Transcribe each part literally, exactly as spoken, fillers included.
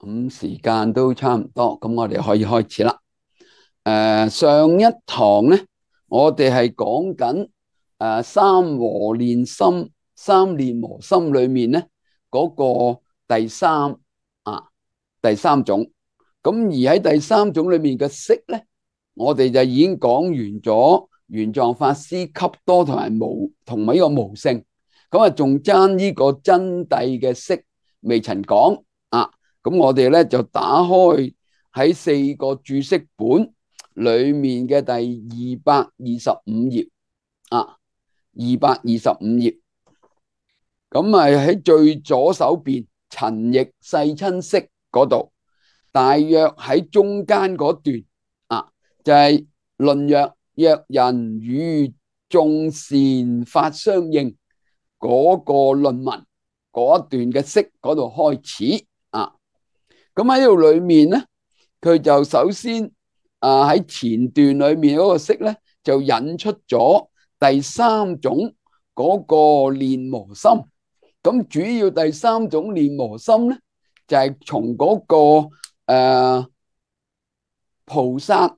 咁時間都差唔多，咁我哋可以開始啦。誒，上一堂咧，我哋係講緊誒三和練心、三練和心裏面咧嗰個第三啊第三種。咁而喺第三種裏面嘅色咧，我哋就已經講完咗玄奘法師笈多同埋無同埋呢個無性。咁啊，仲爭呢個真諦嘅色未曾講啊。咁我哋咧就打開喺四個注釋本裏面嘅第二百二十五頁啊，二百二十五頁。咁啊喺最左手邊陳譯世親釋嗰度，大約喺中間嗰段啊，就係、是、論曰若人與眾善法相應嗰個論文嗰一段嘅釋嗰度開始啊。咁喺度裏面咧，佢就首先啊喺前段裏面嗰個釋咧，就引出咗第三種嗰個練和心。咁主要第三種練和心咧，就係從嗰個誒菩薩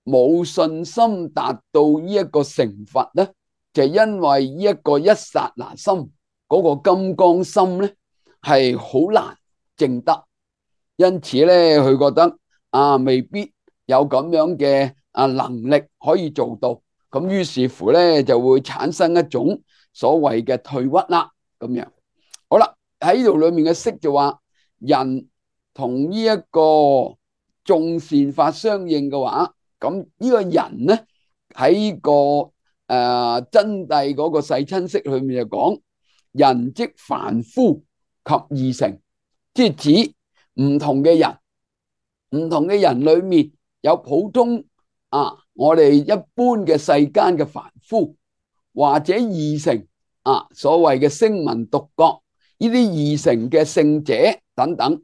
冇信心達到呢一個成佛咧，就因為呢一個一剎那心嗰個金剛心咧係好難證得。因此咧，佢覺得啊，未必有咁樣嘅啊能力可以做到，咁於是乎咧就會產生一種所謂嘅退屈啦，咁樣。好啦，喺呢度裏面嘅釋就話，人同呢一個眾善法相應嘅話，咁呢個人咧喺個誒、呃、真諦嗰個世親釋裏面就講，人即凡夫及二乘，即係指唔同嘅人，唔同嘅人裏面有普通啊，我哋一般嘅世間嘅凡夫，或者二乘啊，所謂嘅聲聞獨覺呢啲二乘嘅聖者等等。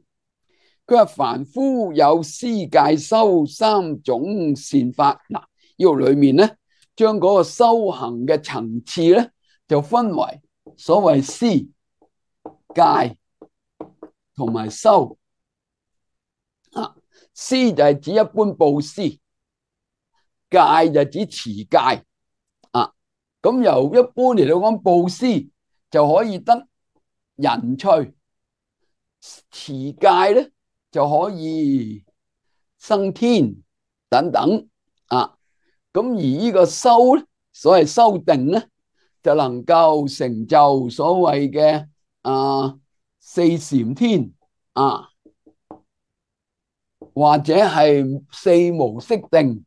佢話凡夫有施戒修三種善法。嗱，呢度裏面咧，將嗰個修行嘅層次咧，就分為所謂施、戒同埋修。啊，施就係指一般布施，戒就指持戒啊。咁由一般嚟到講，布施就可以得人趣，持戒咧就可以生天等等啊。咁而呢個修咧，所謂修定咧，就能夠成就所謂嘅啊四禪天啊，或者係四無色定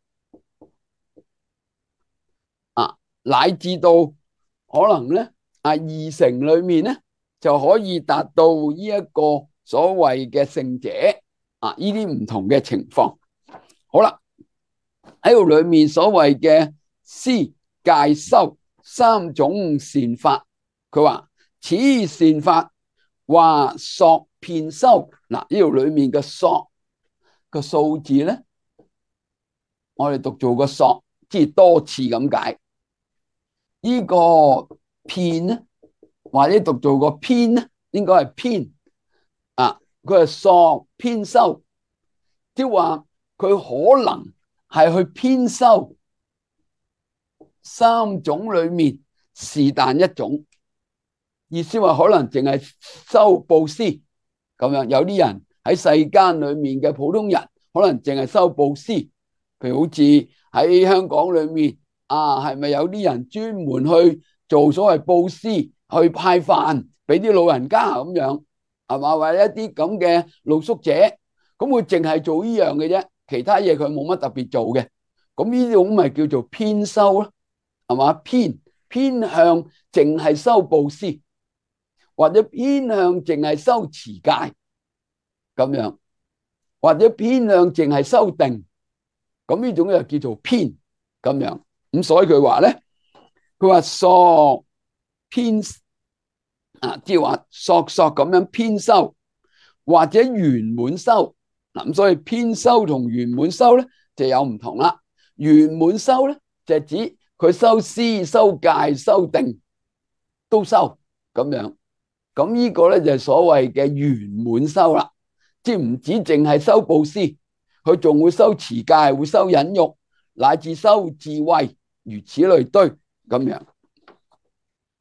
啊，乃至到可能咧啊二乘裏面咧就可以達到呢一個所謂嘅聖者啊，呢啲唔同嘅情況。好啦，喺度裏面所謂嘅施戒修三種善法，佢話此善法話索遍修。嗱，呢度裏面嘅索個數字咧，我哋讀做個索，即係多次咁解。呢個遍咧，或者讀做個偏咧，應該係偏啊。佢係索遍修，即係話佢可能係去偏修三種裏面是但一種。意思話可能淨係修布施咁樣。有啲人喺世間裏面嘅普通人，可能淨係修布施。譬如好似喺香港裏面啊，係咪有啲人專門去做所謂布施，去派飯俾啲老人家咁樣，係嘛？或者一啲咁嘅露宿者，咁佢淨係做呢樣嘅啫，其他嘢佢冇乜特別做嘅。咁呢種咪叫做偏修咯，係嘛？偏偏向淨係修布施，或者偏向淨係修持戒咁樣，或者偏向淨係修定。咁呢種又叫做偏咁樣。咁所以佢話咧，佢話索偏啊，即係話索索咁樣偏修，或者圓滿修。嗱，咁所以偏修同圓滿修咧就有唔同啦。圓滿修咧就係指佢修施、修戒、修定都修咁樣。咁呢個咧就係所謂嘅圓滿修啦。即係唔止淨係修布施，佢仲會修持戒，會修忍辱，乃至修智慧，如此類推咁樣。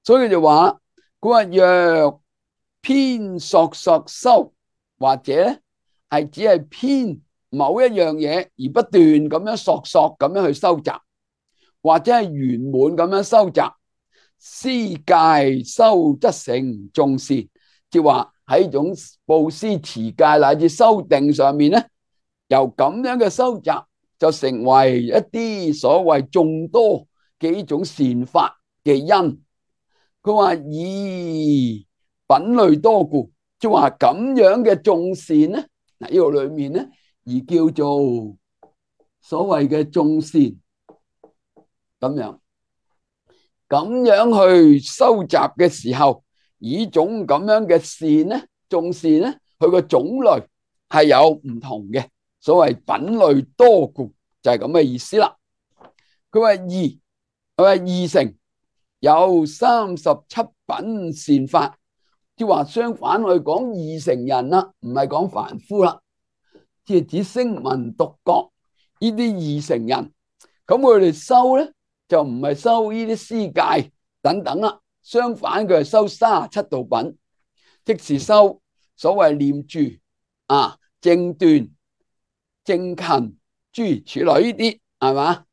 所以佢就話，佢話若偏索索修，或者咧係只係偏某一樣嘢而不斷咁樣索索咁樣去收集，或者係圓滿咁樣收集，施戒修則成眾善，即係話喺種布施持戒乃至修定上面咧，由咁樣嘅收集就成為一啲所謂眾多嘅呢種善法嘅因。佢話以品類多故，即係話咁樣嘅眾善咧，嗱呢個裏面咧而叫做所謂嘅眾善，咁樣咁樣去收集嘅時候，以種咁樣嘅善咧，眾善咧，佢個種類係有唔同嘅，所謂品類多故就係咁嘅意思啦。佢話二，佢話二乘有三十七品善法，即係話相反去講二乘人啦，唔係講凡夫啦，即係指聲聞獨覺呢啲二乘人，咁佢哋修咧就唔係修呢啲施戒等等啦，相反佢係修三十七道品，即是修所謂念住啊、正斷、正勤諸如此類呢啲，係嘛？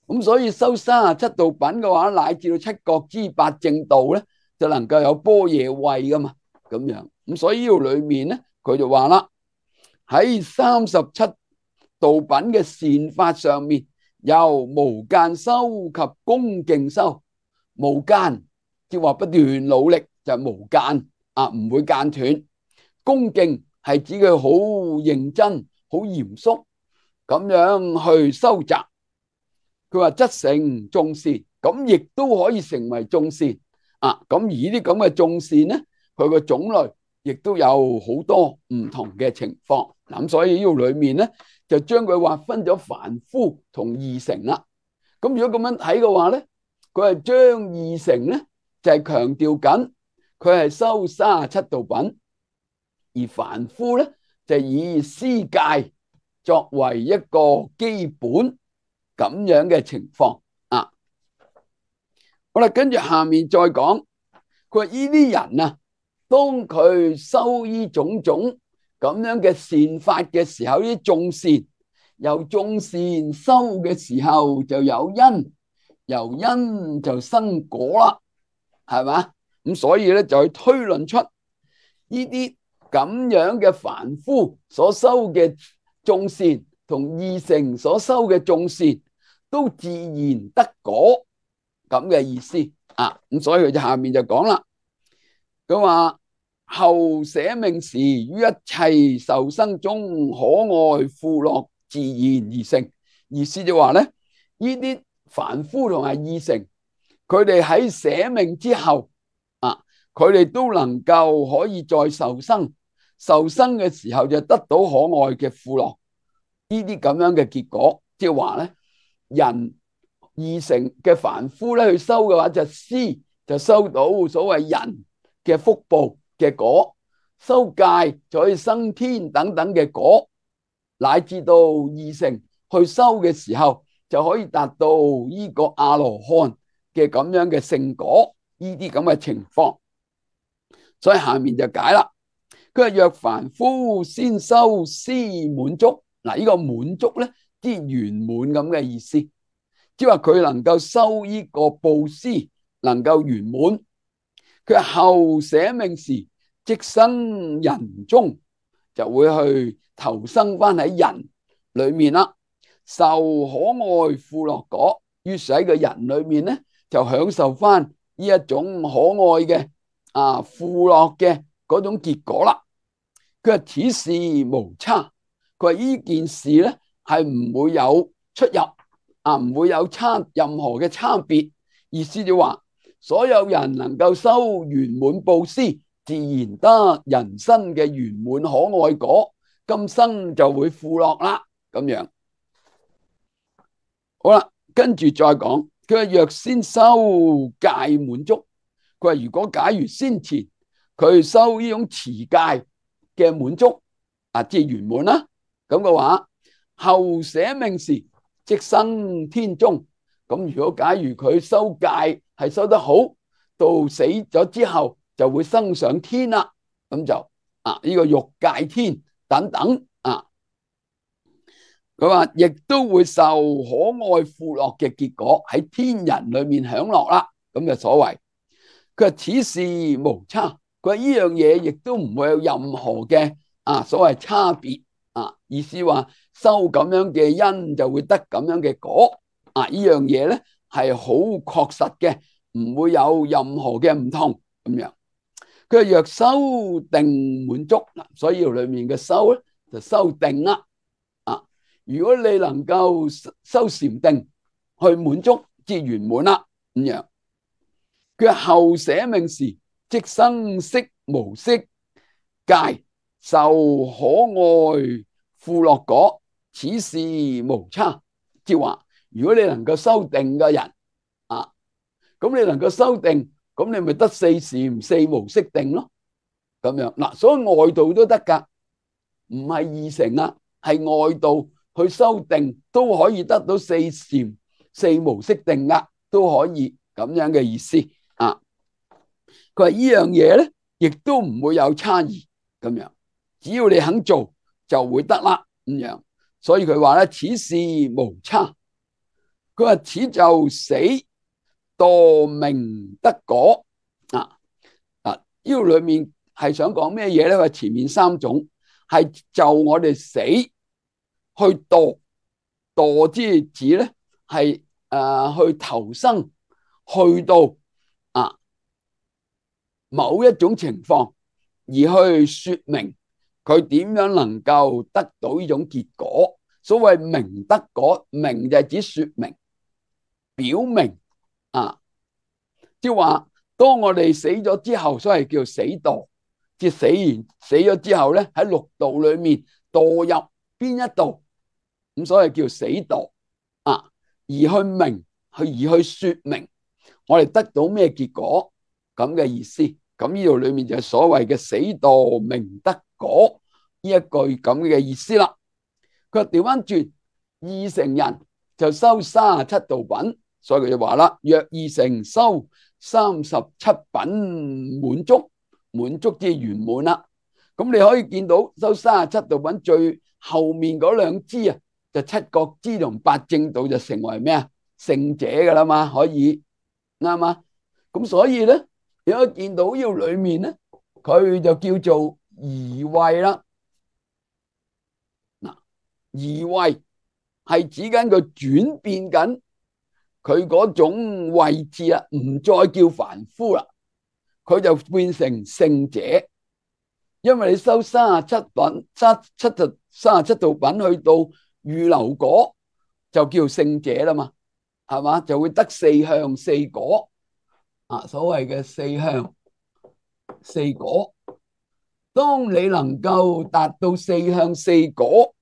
咁所以修三十七道品嘅話，乃至到七覺支八正道咧，就能夠有般若慧噶嘛，咁樣。咁所以呢度裏面咧，佢就話啦，喺三十七道品嘅善法上面，由無間修及恭敬修。無間即係話不斷努力就係無間啊，唔會間斷。恭敬係指佢好認真、好嚴肅咁樣去收集。佢話則成眾善，咁亦都可以成為眾善啊！咁而呢啲咁嘅眾善咧，佢個種類亦都有好多唔同嘅情況。咁所以呢度裏面咧，就將佢劃分咗凡夫同二乘啦。咁如果咁樣睇嘅話咧，佢係將二乘咧就係強調緊佢係修三十七道品，而凡夫咧就以施戒作為一個基本。咁樣嘅情況啊，好啦，跟住下面再講，佢話呢啲人啊，當佢修呢種種咁樣嘅善法嘅時候，呢啲眾善由眾善修嘅時候就有因，由因就生果啦，係嘛？咁所以咧就去推論出呢啲咁樣嘅凡夫所修嘅眾善同二乘所修嘅眾善都自然得果咁嘅意思啊！咁所以佢就下面就講啦，佢話後捨命時於一切受生中可愛富樂自然而成，意思就話咧，呢啲凡夫同埋二乘，佢哋喺捨命之後啊，佢哋都能夠可以再受生，受生嘅時候就得到可愛嘅富樂。呢啲咁樣嘅結果，即係話咧，人二乘嘅凡夫咧去修嘅話，就施就收到所謂人嘅福報嘅果，修戒就可以生天等等嘅果，乃至到二乘去修嘅時候，就可以達到呢個阿羅漢嘅咁樣嘅聖果，呢啲咁嘅情況。所以下面就解啦，佢話若凡夫先修施滿足。嗱，呢個滿足咧，即係圓滿咁嘅意思，即係話佢能夠修呢個布施，能夠圓滿。佢後捨命時，即生人中，就會去投生翻喺人裏面啦，受可愛富樂果。於是喺個人裏面咧，就享受翻呢一種可愛嘅啊富樂嘅嗰種結果啦。佢話此事無差。佢話呢件事咧係唔會有出入啊，唔會有差任何嘅差別。意思就話，所有人能夠修圓滿布施，自然得人生嘅圓滿可愛果，今生就會富樂啦。咁樣好啦，跟住再講，佢話若先修戒滿足，佢話如果假如先前佢修呢種持戒嘅滿足。啊，即係圓滿啦。咁嘅話，後捨命時，即生天中。咁如果假如佢修戒係修得好，到死咗之後就會升上天啦。咁就啊呢個欲界天等等啊。佢話亦都會受可愛富樂嘅結果，喺天人裏面享樂啦。咁就所謂佢話此事無差，佢話呢樣嘢亦都唔會有任何嘅啊所謂差別啊，意思話修咁樣嘅因就會得咁樣嘅果啊，呢樣嘢咧係好確實嘅，唔會有任何嘅唔同咁樣。佢話若修定滿足嗱，所以裏面嘅修咧就修定啦。如果你能夠修禪定去滿足，即圓滿啦咁樣。佢後捨命時，即生色無色界，受可愛富樂果，此事無差。即係話，如果你能夠修定嘅人啊，咁你能夠修定，咁你咪得四禪四無色定咯。咁樣嗱，所以外道都得噶，唔係二乘啊，係外道。去修定都可以得到四禪四無色定噶，都可以咁樣嘅意思啊。佢話呢樣嘢咧，亦都唔會有差異咁樣，只要你肯做就會得啦咁樣。所以佢話咧，此事無差。佢話此就死墮明得果啊啊！呢個裏面係想講咩嘢咧？話前面三種係就我哋死。去墮墮之指咧係誒去投生，去到啊某一種情況，而去說明佢點樣能夠得到呢種結果。所謂明得果，明就係指說明、表明啊，即係話當我哋死咗之後，所謂叫死墮，即係死完死咗之後咧喺六道裏面墮入邊一度。咁所謂叫死墮啊，而去明去而去說明我哋得到咩結果咁嘅意思。咁呢度裏面就係所謂嘅死墮明得果呢一句咁嘅意思啦。佢調翻轉，二乘人就修三十七道品，所以佢就話啦：若二乘修三十七品滿足，滿足即係圓滿啦。咁你可以見到修三十七道品最後面嗰兩支啊，就七覺支同八正道就成為咩啊？聖者噶啦嘛，可以啱嘛？咁所以咧，你可以見到呢個裏面咧，佢就叫做移位啦。嗱，移位係指緊佢轉變緊佢嗰種位置啦，唔再叫凡夫啦，佢就變成聖者。因為你修三十七品、三七就三十七道品去到預流果就叫聖者啦嘛，係嘛？就會得四向四果啊，所謂嘅四向四果。當你能夠達到四向四果，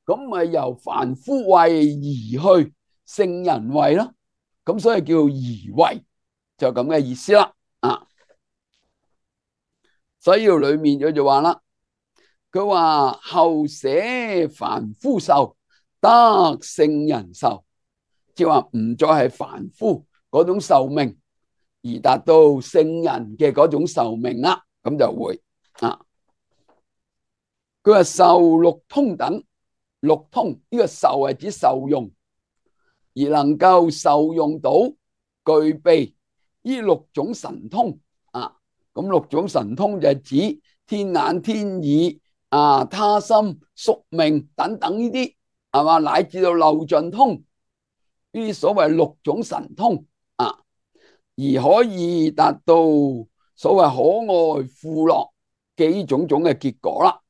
咁咪由凡夫位移去聖人位咯。咁所以叫移位，就咁嘅意思啦。啊，所以裏面佢就話啦。佢話後捨凡夫壽，得聖人壽，即係話唔再係凡夫嗰種壽命，而達到聖人嘅嗰種壽命啦，咁就會啊。佢話受六通等，六通呢個受係指受用，而能夠受用到具備呢六種神通啊。咁六種神通就係指天眼、天耳。啊，他心、宿命等等呢啲係嘛，乃至到漏盡通呢啲所謂六種神通啊，而可以達到所謂可愛富樂嘅呢種種嘅結果啦。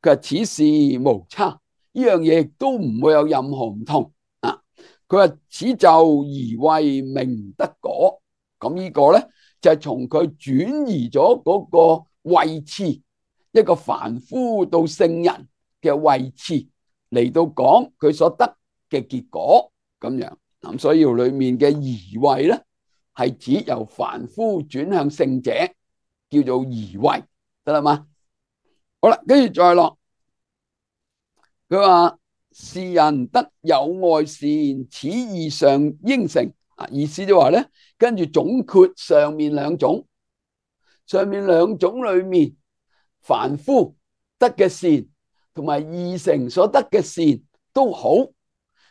佢話此事無差，呢樣嘢亦都唔會有任何唔同啊。佢話此就移位明得果，咁呢個咧就係從佢轉移咗嗰個位置。一個凡夫到聖人嘅位置嚟到講佢所得嘅結果咁樣，咁所以裏面嘅移位咧係指由凡夫轉向聖者，叫做移位，得啦嘛？好啦，跟住再落佢話是人得有愛善，此義上應成。啊，意思就話咧，跟住總括上面兩種，上面兩種裏面，凡夫得嘅善同埋義成所得嘅善都好，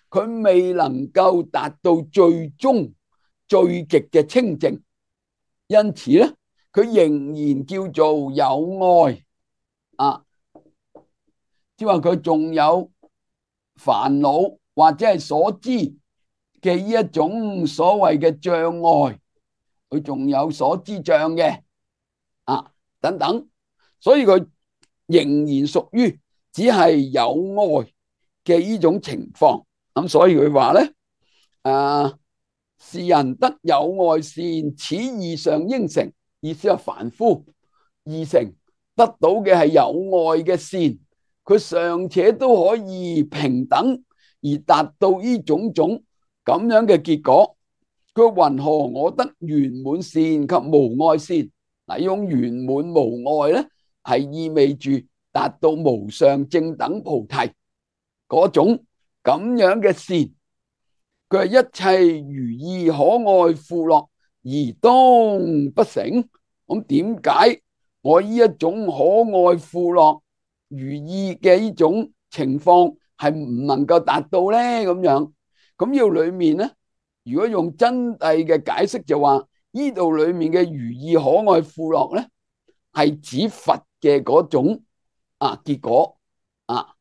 佢未能夠達到最終最極嘅清淨，因此咧，佢仍然叫做有愛啊，即係話佢仲有煩惱或者係所知嘅呢一種所謂嘅障礙，佢仲有所知障嘅啊等等，所以佢仍然屬於只係有愛嘅呢種情況。咁所以佢話咧，啊，是人得有愛善，此義上應成。意思係凡夫義成得到嘅係有愛嘅善，佢尚且都可以平等而達到呢種種咁樣嘅結果。佢云何我得圓滿善及無礙善？嗱，呢種圓滿無礙咧，係意味住達到無上正等菩提嗰種咁樣嘅善。佢係一切如意可愛富樂而當不成。咁點解我呢一種可愛富樂如意嘅呢種情況係唔能夠達到咧？咁樣咁呢度裏面咧，如果用真諦嘅解釋就話，呢度裏面嘅如意可愛富樂咧，係指佛嘅嗰種啊結果啊。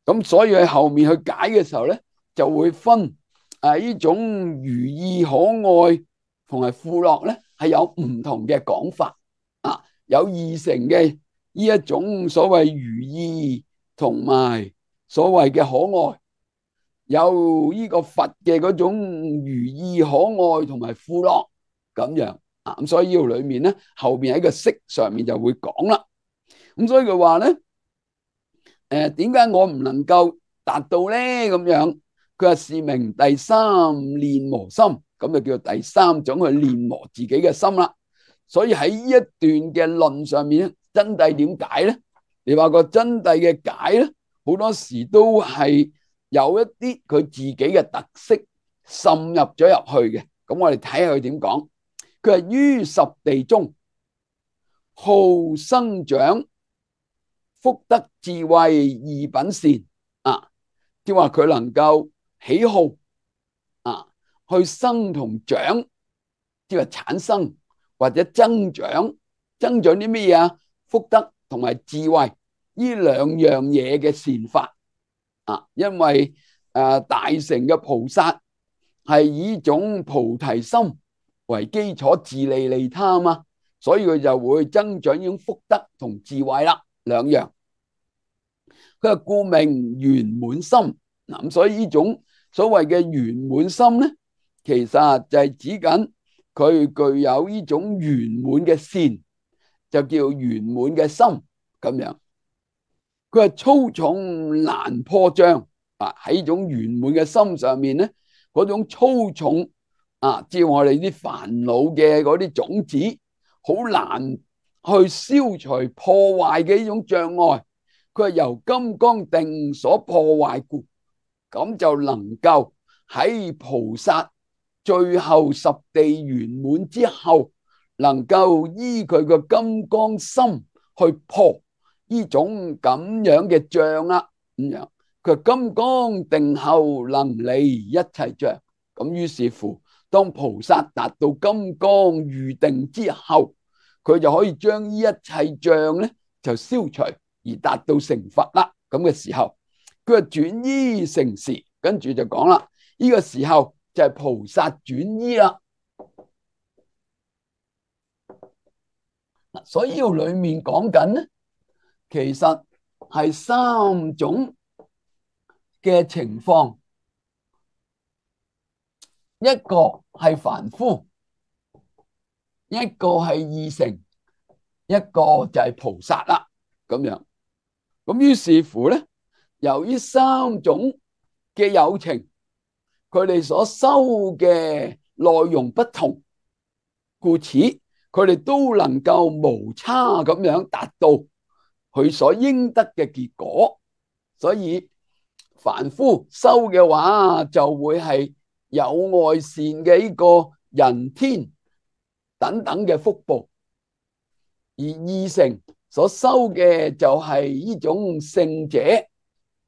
咁所以喺後面去解嘅時候咧，就會分啊呢種如意可愛同埋富樂咧，係有唔同嘅講法啊。有二乘嘅呢一種所謂如意同埋所謂嘅可愛，有呢個佛嘅嗰種如意可愛同埋富樂咁樣啊。咁所以呢度裏面咧，後邊喺個釋上面就會講啦。咁所以佢話咧，誒，點解我唔能夠達到咧？咁樣佢話是名第三練磨心，咁就叫做第三種去練磨自己嘅心啦。所以喺呢一段嘅論上面，真諦點解咧？你話個真諦嘅解咧，好多時都係有一啲佢自己嘅特色滲入咗入去嘅。咁我哋睇下佢點講。佢係於十地中好生長福德智慧二品善啊，即係話佢能夠喜好啊，去生同長，即係產生或者增長，增長啲咩嘢啊？福德同埋智慧呢兩樣嘢嘅善法啊，因為誒大乘嘅菩薩係以種菩提心為基礎自利利他啊嘛，所以佢就會增長呢種福德同智慧啦，兩樣。佢係故名圓滿心。嗱，咁所以呢種所謂嘅圓滿心咧，其實就係指緊佢具有呢種圓滿嘅善，就叫圓滿嘅心咁樣。佢係粗重難破障啊！喺呢種圓滿嘅心上面咧，嗰種粗重啊，即係我哋啲煩惱嘅嗰啲種子，好難去消除破壞嘅呢種障礙。佢係由金剛定所破壞故，咁就能夠喺菩薩最後十地圓滿之後，能夠依佢個金剛心去破呢種咁樣嘅障啦。咁樣佢金剛定後能離一切障，咁於是乎，當菩薩達到金剛喻定之後，佢就可以將呢一切障咧就消除。而達到成佛啦，咁嘅時候，佢係轉依成時，跟住就講啦，呢個時候就係菩薩轉依啦。所以呢度裏面講緊咧，其實係三種嘅情況，一個係凡夫，一個係二乘，一個就係菩薩啦，咁樣。咁於是乎咧，由於三種嘅有情，佢哋所修嘅內容不同，故此佢哋都能夠無差咁樣達到佢所應得嘅結果。所以凡夫修嘅話，就會係有愛善嘅呢個人天等等嘅福報，而二乘所修嘅就係呢種聖者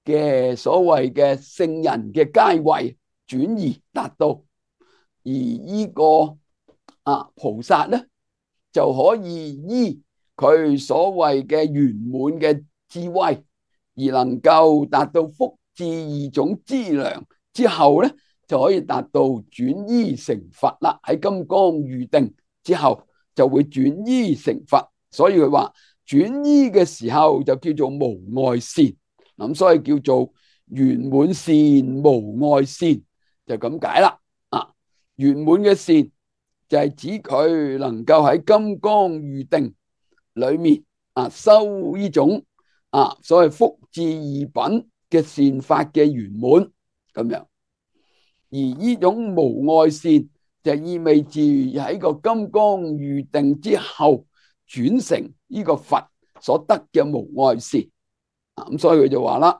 嘅所謂嘅聖人嘅階位轉移達到，而呢個啊菩薩咧就可以依佢所謂嘅圓滿嘅智慧，而能夠達到福智二種資糧之後咧，就可以達到轉依成佛啦。喺金剛喻定之後就會轉依成佛，所以佢話轉依嘅時候就叫做無礙善，咁所以叫做圓滿善無礙善，就咁解啦。啊，圓滿嘅善就係指佢能夠喺金剛喻定裏面啊修呢種啊所謂福智二品嘅善法嘅圓滿咁樣，而呢種無礙善就意味住喺個金剛喻定之後轉成呢個佛所得嘅無礙善，咁所以佢就話啦，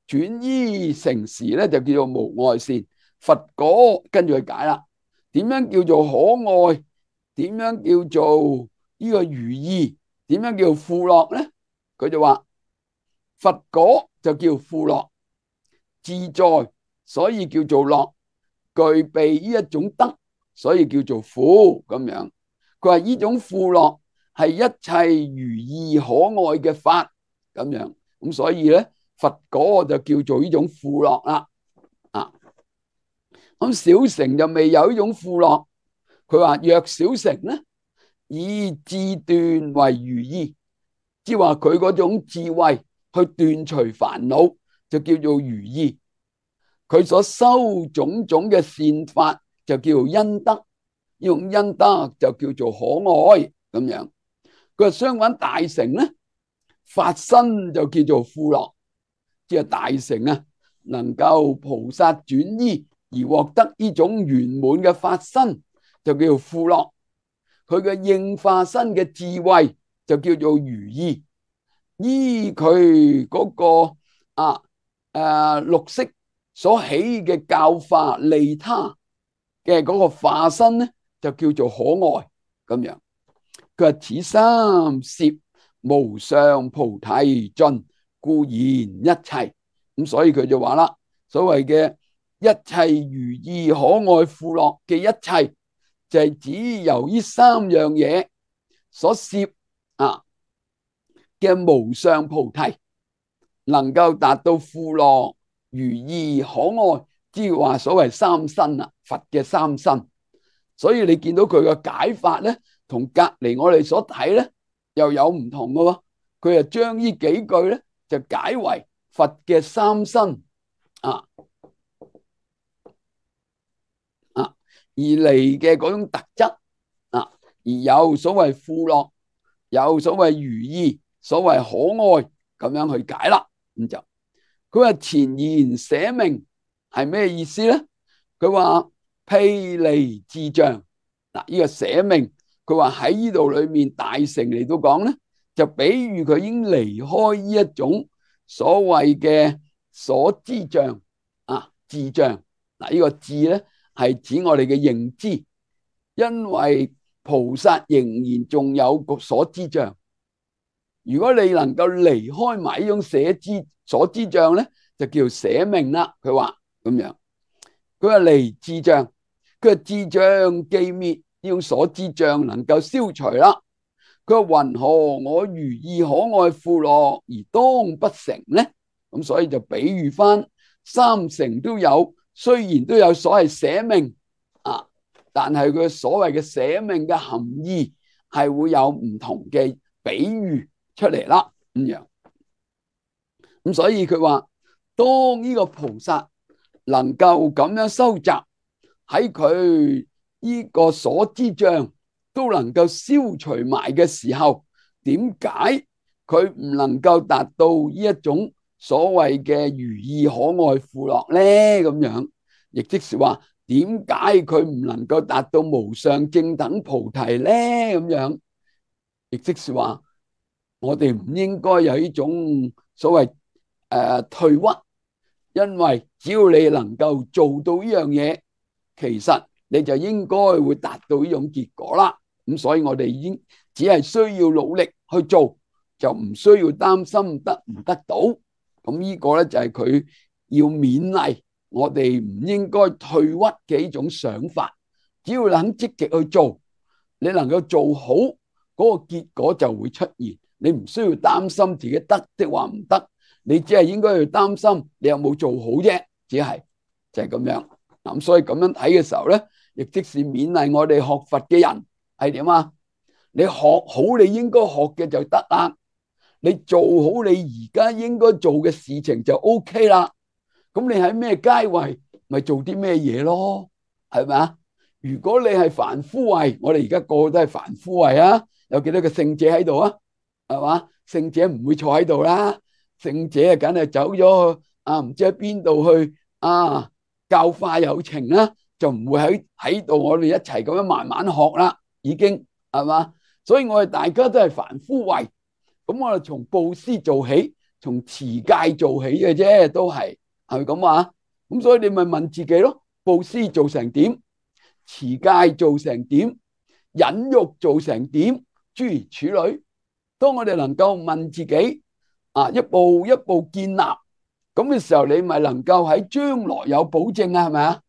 轉依成時咧就叫做無礙善。佛果跟住去解啦，點樣叫做可愛？點樣叫做呢個如意？點樣叫富樂咧？佢就話佛果就叫富樂，自在所以叫做樂，具備呢一種德，所以叫做富咁樣。佢話呢種富樂係一切如意可愛嘅法咁樣，咁所以咧佛果就叫做呢種富樂啦。啊，咁小乘就未有呢種富樂，佢話若小乘咧以智斷為如意，即係話佢嗰種智慧去斷除煩惱，就叫做如意。佢所修種種嘅善法就叫做恩德，呢種恩德就叫做可愛咁樣。佢話相反大乘咧，法身就叫做富樂，即係大乘啊，能夠菩薩轉依而獲得呢種圓滿嘅法身，就叫做富樂。佢嘅應化身嘅智慧就叫做如意，依佢嗰個啊誒綠色所起嘅教化利他嘅嗰個化身咧，就叫做可愛咁樣。佢話此三攝無上菩提盡，故現一切。咁所以佢就話啦，所謂嘅一切如意可愛富樂嘅一切，就係指由呢三樣嘢所攝啊嘅無上菩提，能夠達到富樂如意可愛，即係話所謂三身啊，佛嘅三身。所以你見到佢嘅解法咧，同隔籬我哋所睇咧又有唔同嘅喎。佢就將呢幾句咧就解為佛嘅三身啊啊而嚟嘅嗰種特質啊，而有所謂富樂，有所謂如意，所謂可愛，咁樣去解啦。咁就佢話前言捨命係咩意思咧？佢話披離智障嗱，呢個捨命，佢話喺呢度裏面大乘嚟到講咧，就比喻佢已經離開呢一種所謂嘅所知障啊智障嗱，呢個智咧係指我哋嘅認知，因為菩薩仍然仲有個所知障。如果你能夠離開埋呢種捨知所知障咧，就叫捨命啦。佢話咁樣，佢話離智障，佢話智障既滅，呢種所知障能夠消除啦。佢話云何我如意可愛富樂而當不成咧？咁所以就比喻翻三乘都有，雖然都有所謂捨命啊，但係佢所謂嘅捨命嘅含義係會有唔同嘅比喻出嚟啦，咁樣。咁所以佢話，當呢個菩薩能夠咁樣收集喺佢呢個所知障都能夠消除埋嘅時候，點解佢唔能夠達到呢一種所謂嘅如意可愛富樂咧？咁樣，亦即是話，點解佢唔能夠達到無上正等菩提咧？咁樣，亦即是話，我哋唔應該有呢種所謂誒退屈，因為只要你能夠做到呢樣嘢，其實你就應該會達到呢種結果啦。咁所以我哋已經只係需要努力去做，就唔需要擔心得唔得到。咁呢個咧就係佢要勉勵我哋唔應該退屈嘅一種想法。只要你肯積極去做，你能夠做好，嗰個結果就會出現。你唔需要擔心自己得的話唔得，你只係應該要擔心你有冇做好啫，只係就係咁樣。咁所以咁樣睇嘅時候咧，亦即是勉勵我哋學佛嘅人係點啊？你學好你應該學嘅就得啦，你做好你而家應該做嘅事情就 OK 啦。咁你喺咩階位咪做啲咩嘢咯？係咪啊？如果你係凡夫位，我哋而家個個都係凡夫位啊，有幾多個聖者喺度啊？係嘛？聖者唔會坐喺度啦，聖者啊，梗係走咗去啊，唔知喺邊度去啊，教化有情啦，就唔會喺喺度，我哋一齊咁樣慢慢學啦，已經係嘛？所以我哋大家都係凡夫位，咁我哋從布施做起，從持戒做起嘅啫，都係係咪咁話？咁所以你咪問自己咯，布施做成點？持戒做成點？忍辱做成點？諸如此類。當我哋能夠問自己啊，一步一步建立咁嘅時候，你咪能夠喺將來有保證啊？係咪啊？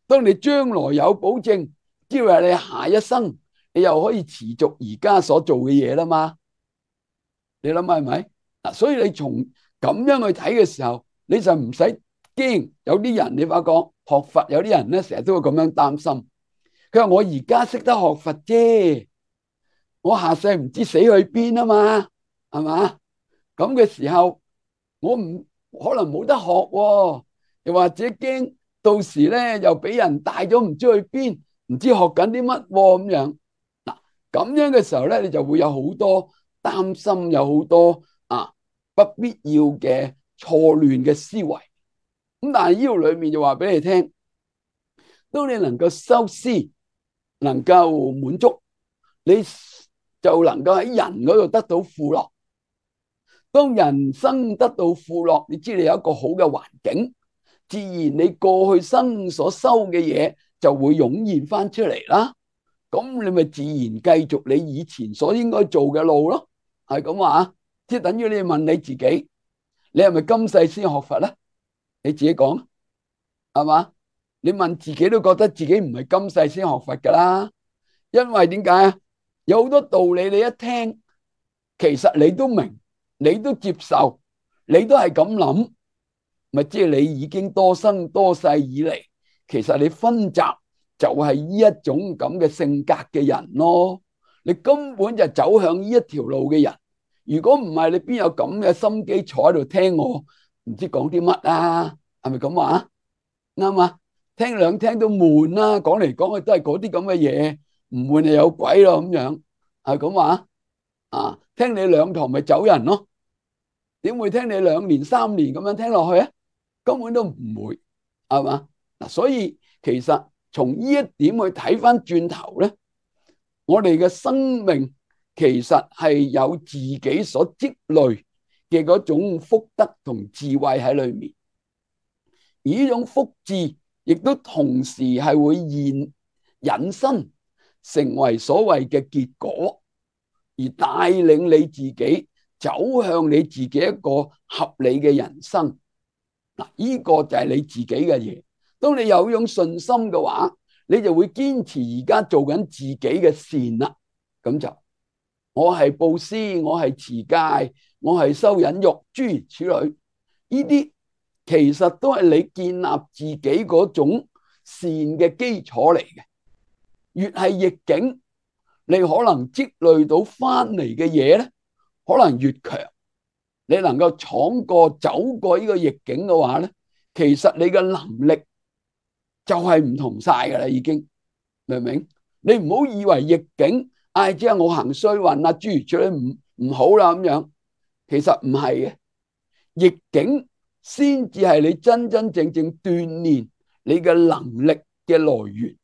當你將來有保證，即係話你下一生你又可以持續而家所做嘅嘢啦嘛？你諗下係咪？嗱，所以你從咁樣去睇嘅時候，你就唔使驚。有啲人你發覺學佛，有啲人咧成日都會咁樣擔心。佢話我而家識得學佛啫，我下世唔知死去邊啊嘛，係嘛？咁嘅時候，我唔可能冇得學喎，又或者驚到時咧又俾人帶咗唔知去邊，唔知學緊啲乜咁樣。嗱，咁樣嘅時候咧，你就會有好多擔心，有好多啊不必要嘅錯亂嘅思維。咁但係呢度裏面就話俾你聽，當你能夠修施，能夠滿足，你就能夠喺人嗰度得到富樂。當人生得到富樂，你知你有一個好嘅環境，自然你過去生所修嘅嘢就會湧現翻出嚟啦。咁你咪自然繼續你以前所應該做嘅路咯。係咁話，即係等於你問你自己，你係咪今世先學佛咧？你自己講，係嘛？你問自己都覺得自己唔係今世先學佛噶啦。因為點解啊？有好多道理你一聽，其實你都明，你都接受，你都係咁諗，咪即係你已經多生多世以嚟，其實你分集就係呢一種咁嘅性格嘅人咯。你根本就走向呢一條路嘅人。如果唔係，你邊有咁嘅心機坐喺度聽我唔知講啲乜啊？係咪咁話？啱啊！聽兩聽都悶啦，講嚟講去都係嗰啲咁嘅嘢，唔悶就有鬼咯咁樣，係咁話啊？聽你兩堂咪走人咯？點會聽你兩年三年咁樣聽落去啊？根本都唔會，係嘛？嗱，所以其實從呢一點去睇翻轉頭咧，我哋嘅生命其實係有自己所積累嘅嗰種福德同智慧喺裏面，而呢種福智亦都同時係會現引申成為所謂嘅結果，而帶領你自己走向你自己一個合理嘅人生。嗱，呢個就係你自己嘅嘢。當你有種信心嘅話，你就會堅持而家做緊自己嘅善啦。咁就我係布施，我係持戒，我係修忍辱，諸如此類，呢啲其實都係你建立自己嗰種善嘅基礎嚟嘅。越係逆境，你可能積累到翻嚟嘅嘢咧，可能越強。你能夠闖過走過呢個逆境嘅話咧，其實你嘅能力就係唔同晒噶啦，已經明唔明？你唔好以為逆境，唉，即係我行衰運啊，諸如此類唔唔好啦咁樣，其實唔係嘅，逆境先至係你真真正正鍛煉你嘅能力嘅來源。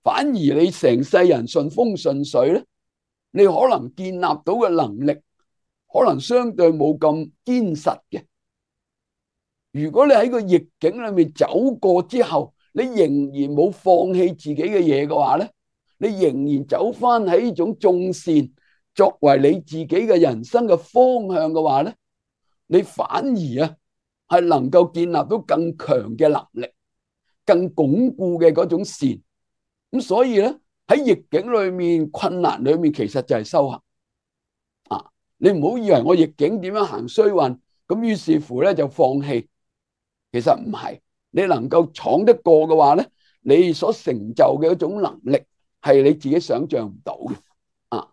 反而你成世人順風順水咧，你可能建立到嘅能力可能相對冇咁堅實嘅，如果你喺個逆境裏面走過之後，你仍然冇放棄自己嘅嘢嘅話咧，你仍然走翻喺呢種眾善作為你自己嘅人生嘅方向嘅話咧，你反而啊係能夠建立到更強嘅能力，更鞏固嘅嗰種善。咁所以咧喺逆境裏面、困難裏面，其實就係修行啊！你唔好以為我逆境點樣行衰運，咁於是乎咧就放棄。其實唔係，你能夠闖得過嘅話咧，你所成就嘅一種能力係你自己想象唔到嘅啊！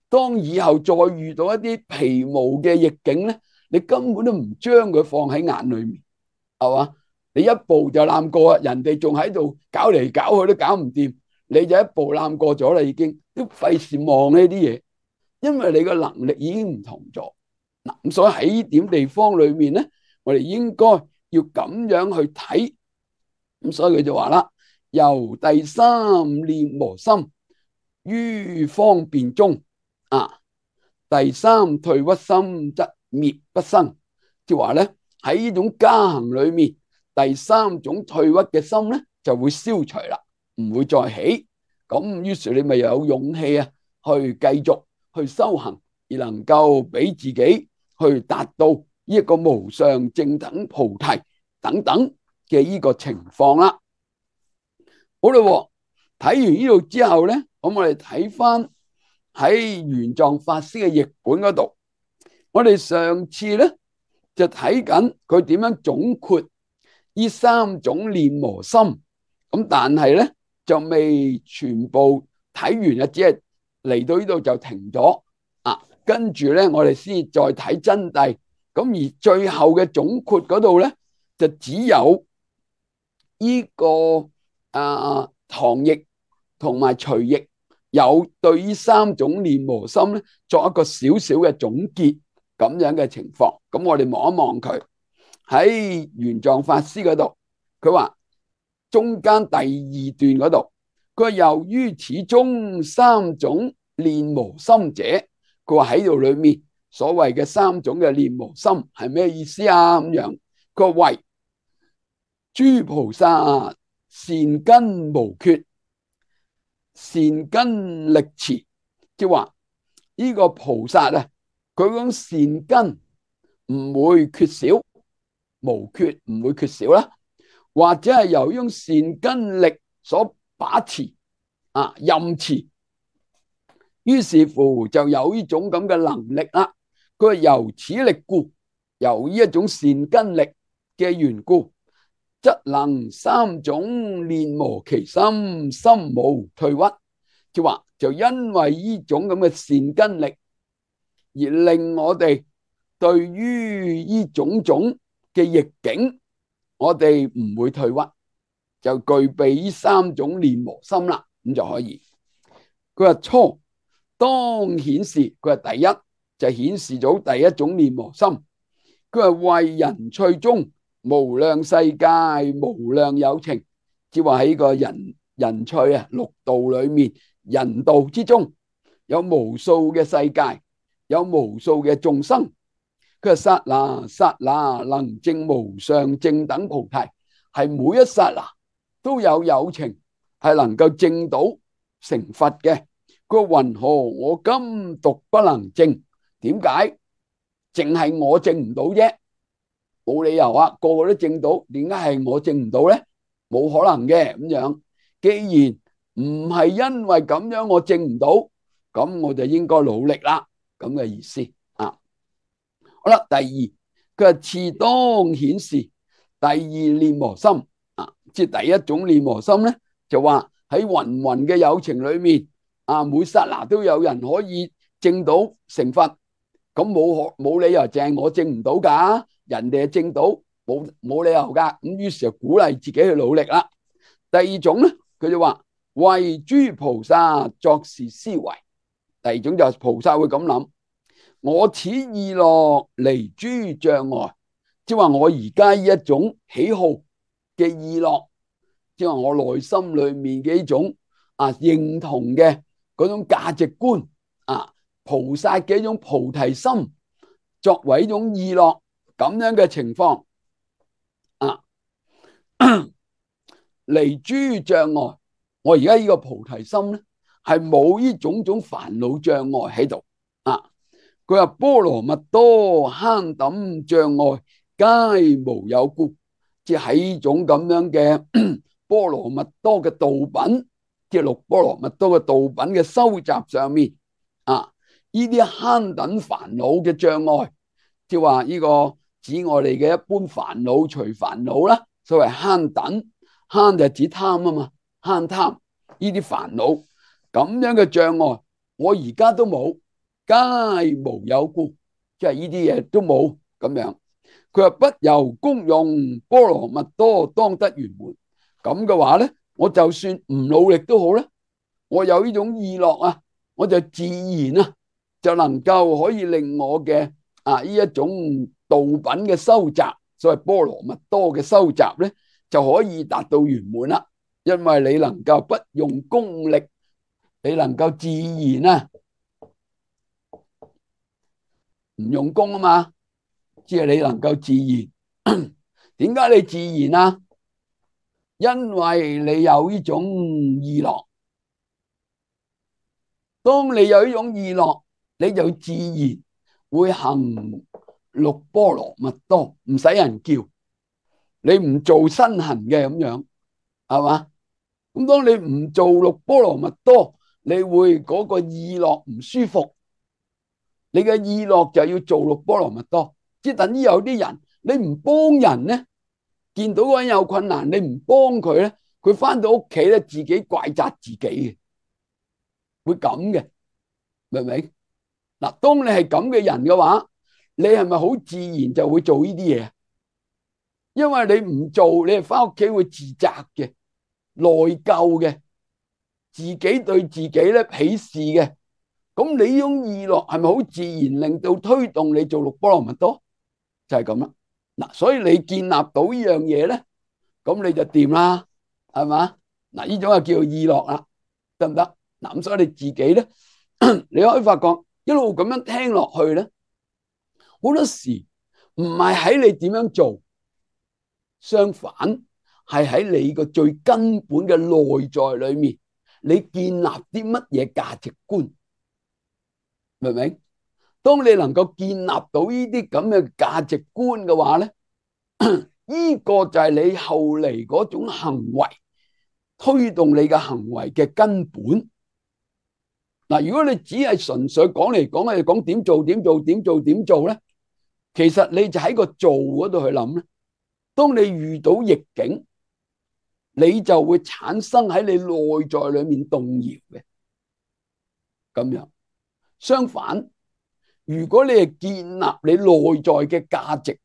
當以後再遇到一啲皮毛嘅逆境咧，你根本都唔將佢放喺眼裏面，係嘛？你一步就攬過，人哋仲喺度搞嚟搞去都搞唔掂，你就一步攬過咗啦，已經都費事望呢啲嘢，因為你個能力已經唔同咗嗱。咁所以喺呢點地方裏面咧，我哋應該要咁樣去睇。咁所以佢就話啦，由第三練磨心於方便中啊，第三退屈心則滅不生，即係話咧喺呢種加行裏面，第三種退屈嘅心咧就會消除啦，唔會再起。咁於是你咪有勇氣啊，去繼續去修行，而能夠俾自己去達到呢一個無上正等菩提等等嘅呢個情況啦。好啦，睇完呢度之後咧，咁我哋睇翻喺玄奘法師嘅譯本嗰度，我哋上次咧就睇緊佢點樣總括呢三種練磨心，咁但係咧就未全部睇完啊，只係嚟到呢度就停咗啊。跟住咧，我哋先再睇真諦。咁而最後嘅總括嗰度咧，就只有呢個啊唐譯同埋徐譯有對呢三種練磨心咧作一個少少嘅總結咁樣嘅情況。咁我哋望一望佢喺玄奘法師嗰度，佢話中間第二段嗰度，佢話由於此中三種練磨心者，佢話喺度裏面所謂嘅三種嘅練磨心係咩意思啊？咁樣佢話為諸菩薩善根無缺，善根力持，即係話呢個菩薩啊，佢講善根唔會缺少，無缺唔會缺少啦，或者係由於善根力所把持啊任持，於是乎就有呢種咁嘅能力啦。佢係由此力故，由呢一種善根力嘅緣故，則能三種練磨其心，心無退屈。即係話就因為呢種咁嘅善根力，而令我哋對於呢種種嘅逆境，我哋唔會退屈，就具備呢三種練磨心啦，咁就可以。佢話初當顯示，佢話第一就顯示咗第一種練磨心。佢話為人趣中無量世界無量有情，即係話喺個人人趣啊六道裏面，人道之中有無數嘅世界，有無數嘅眾生。佢話剎那剎那能證無上正等菩提，係每一剎那都有有情係能夠證到成佛嘅。佢話云何我今獨不能證？點解淨係我證唔到啫？冇理由啊，個個都證到，點解係我證唔到咧？冇可能嘅。咁樣既然唔係因為咁樣我證唔到，咁我就應該努力啦，咁嘅意思啊。好啦，第二佢話次當顯示第二練磨心啊，即係第一種練磨心咧，就話喺芸芸嘅有情裏面啊，每剎那都有人可以證到成佛，咁冇冇理由淨係我證唔到噶，人哋係證到，冇冇理由噶。咁於是就鼓勵自己去努力啦。第二種咧，佢就話為諸菩薩作是思維。第二種就係菩薩會咁諗，我此意樂離諸障礙，即係話我而家呢一種喜好嘅意樂，即係話我內心裏面嘅呢種啊認同嘅嗰種價值觀啊，菩薩嘅一種菩提心作為一種意樂咁樣嘅情況，離諸障礙。我而家呢個菩提心咧，係冇呢種種煩惱障礙喺度啊。佢話波羅蜜多慳抌障礙皆無有故，即係呢種咁樣嘅波羅蜜多嘅道品，即係六波羅蜜多嘅道品嘅收集上面啊，呢啲慳抌煩惱嘅障礙，即係話呢個指我哋嘅一般煩惱除煩惱啦，所謂慳抌，慳就指貪啊嘛，慳貪呢啲煩惱咁樣嘅障礙，我而家都冇。皆無有故，即係呢啲嘢都冇咁樣。佢話不由功用波羅蜜多當得圓滿。咁嘅話咧，我就算唔努力都好咧，我有呢種意樂啊，我就自然啊就能夠可以令我嘅啊呢一種道品嘅收集，所謂波羅蜜多嘅收集咧，就可以達到圓滿啦。因為你能夠不用功力，你能夠自然啊。唔用功啊嘛，即係你能夠自然。點解你自然啊？因為你有呢種意樂。當你有呢種意樂，你就自然會行六波羅蜜多，唔使人叫，你唔做身行嘅咁樣，係嘛？咁當你唔做六波羅蜜多，你會嗰個意樂唔舒服。你嘅意樂就要做六波羅蜜多，即係等於有啲人你唔幫人咧，見到嗰人有困難，你唔幫佢咧，佢翻到屋企咧自己怪責自己嘅，會咁嘅，明唔明？嗱，當你係咁嘅人嘅話，你係咪好自然就會做呢啲嘢？因為你唔做，你係翻屋企會自責嘅、內疚嘅，自己對自己咧鄙視嘅。咁你呢種意樂係咪好自然令到推動你做六波羅蜜多？就係咁啦。嗱，所以你建立到呢樣嘢咧，咁你就掂啦，係嘛？嗱，呢種就叫做意樂啦，得唔得？嗱，咁所以你自己咧，你可以發覺一路咁樣聽落去咧，好多時唔係喺你點樣做，相反係喺你個最根本嘅內在裏面，你建立啲乜嘢價值觀？明唔明？當你能夠建立到呢啲咁嘅價值觀嘅話咧，呢個就係你後嚟嗰種行為推動你嘅行為嘅根本。嗱，如果你只係純粹講嚟講去講點做點做點做點做咧，其實你就喺個做嗰度去諗咧。當你遇到逆境，你就會產生喺你內在裏面動搖嘅，咁樣。相反，如果你係建立你內在嘅價值，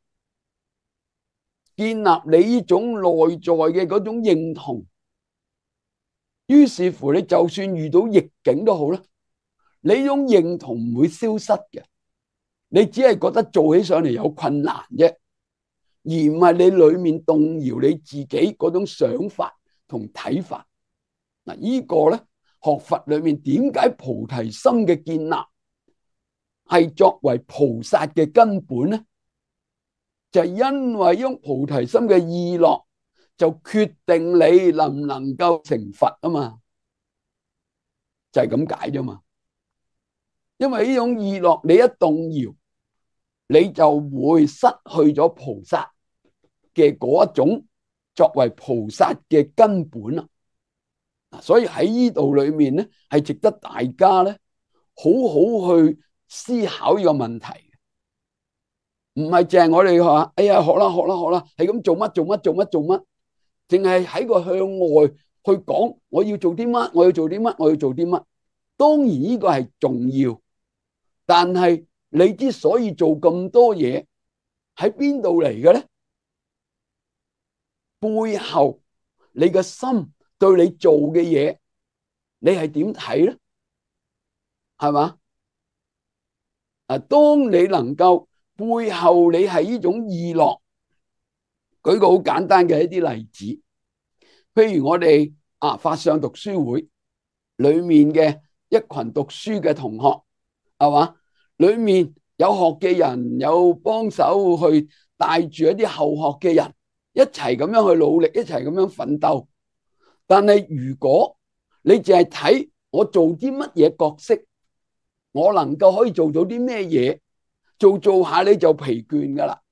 建立你呢種內在嘅嗰種認同，於是乎你就算遇到逆境都好啦，你呢種認同唔會消失嘅，你只係覺得做起上嚟有困難啫，而唔係你裏面動搖你自己嗰種想法同睇法。嗱，呢個咧，學佛裏面點解菩提心嘅建立係作為菩薩嘅根本咧？就係因為用菩提心嘅意樂，就決定你能唔能夠成佛啊嘛，就係咁解啫嘛。因為呢種意樂，你一動搖，你就會失去咗菩薩嘅嗰一種作為菩薩嘅根本啦。所以喺呢度裏面咧，係值得大家咧好好去思考呢個問題。唔係淨係我哋話，哎呀，學啦學啦學啦，係咁做乜做乜做乜做乜，淨係喺個向外去講，我要做啲乜，我要做啲乜，我要做啲乜。當然呢個係重要，但係你之所以做咁多嘢，喺邊度嚟嘅咧？背後你嘅心對你做嘅嘢，你係點睇咧？係嘛？啊，當你能夠背後你係呢種意樂，舉個好簡單嘅一啲例子，譬如我哋啊法相讀書會裏面嘅一群讀書嘅同學，係嘛？裏面有學嘅人，有幫手去帶住一啲後學嘅人，一齊咁樣去努力，一齊咁樣奮鬥。但係如果你淨係睇我做啲乜嘢角色，我能夠可以做到啲咩嘢，做做下你就疲倦噶啦，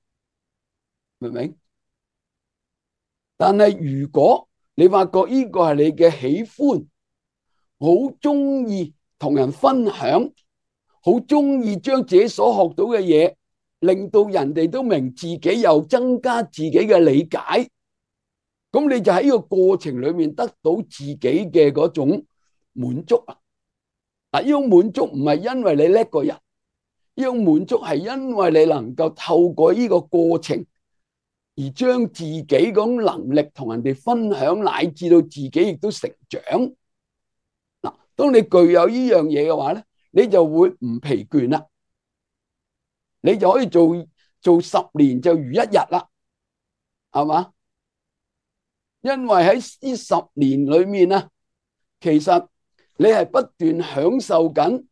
明唔明？但係如果你發覺呢個係你嘅喜歡，好中意同人分享，好中意將自己所學到嘅嘢，令到人哋都明，自己又增加自己嘅理解，咁你就喺呢個過程裏面得到自己嘅嗰種滿足啊！嗱，呢種滿足唔係因為你叻個人，呢種滿足係因為你能夠透過呢個過程而將自己嗰種能力同人哋分享，乃至到自己亦都成長。嗱，當你具有呢樣嘢嘅話咧，你就會唔疲倦啦，你就可以做做十年就如一日啦，係嘛？因為喺呢十年裏面啊，其實你係不斷享受緊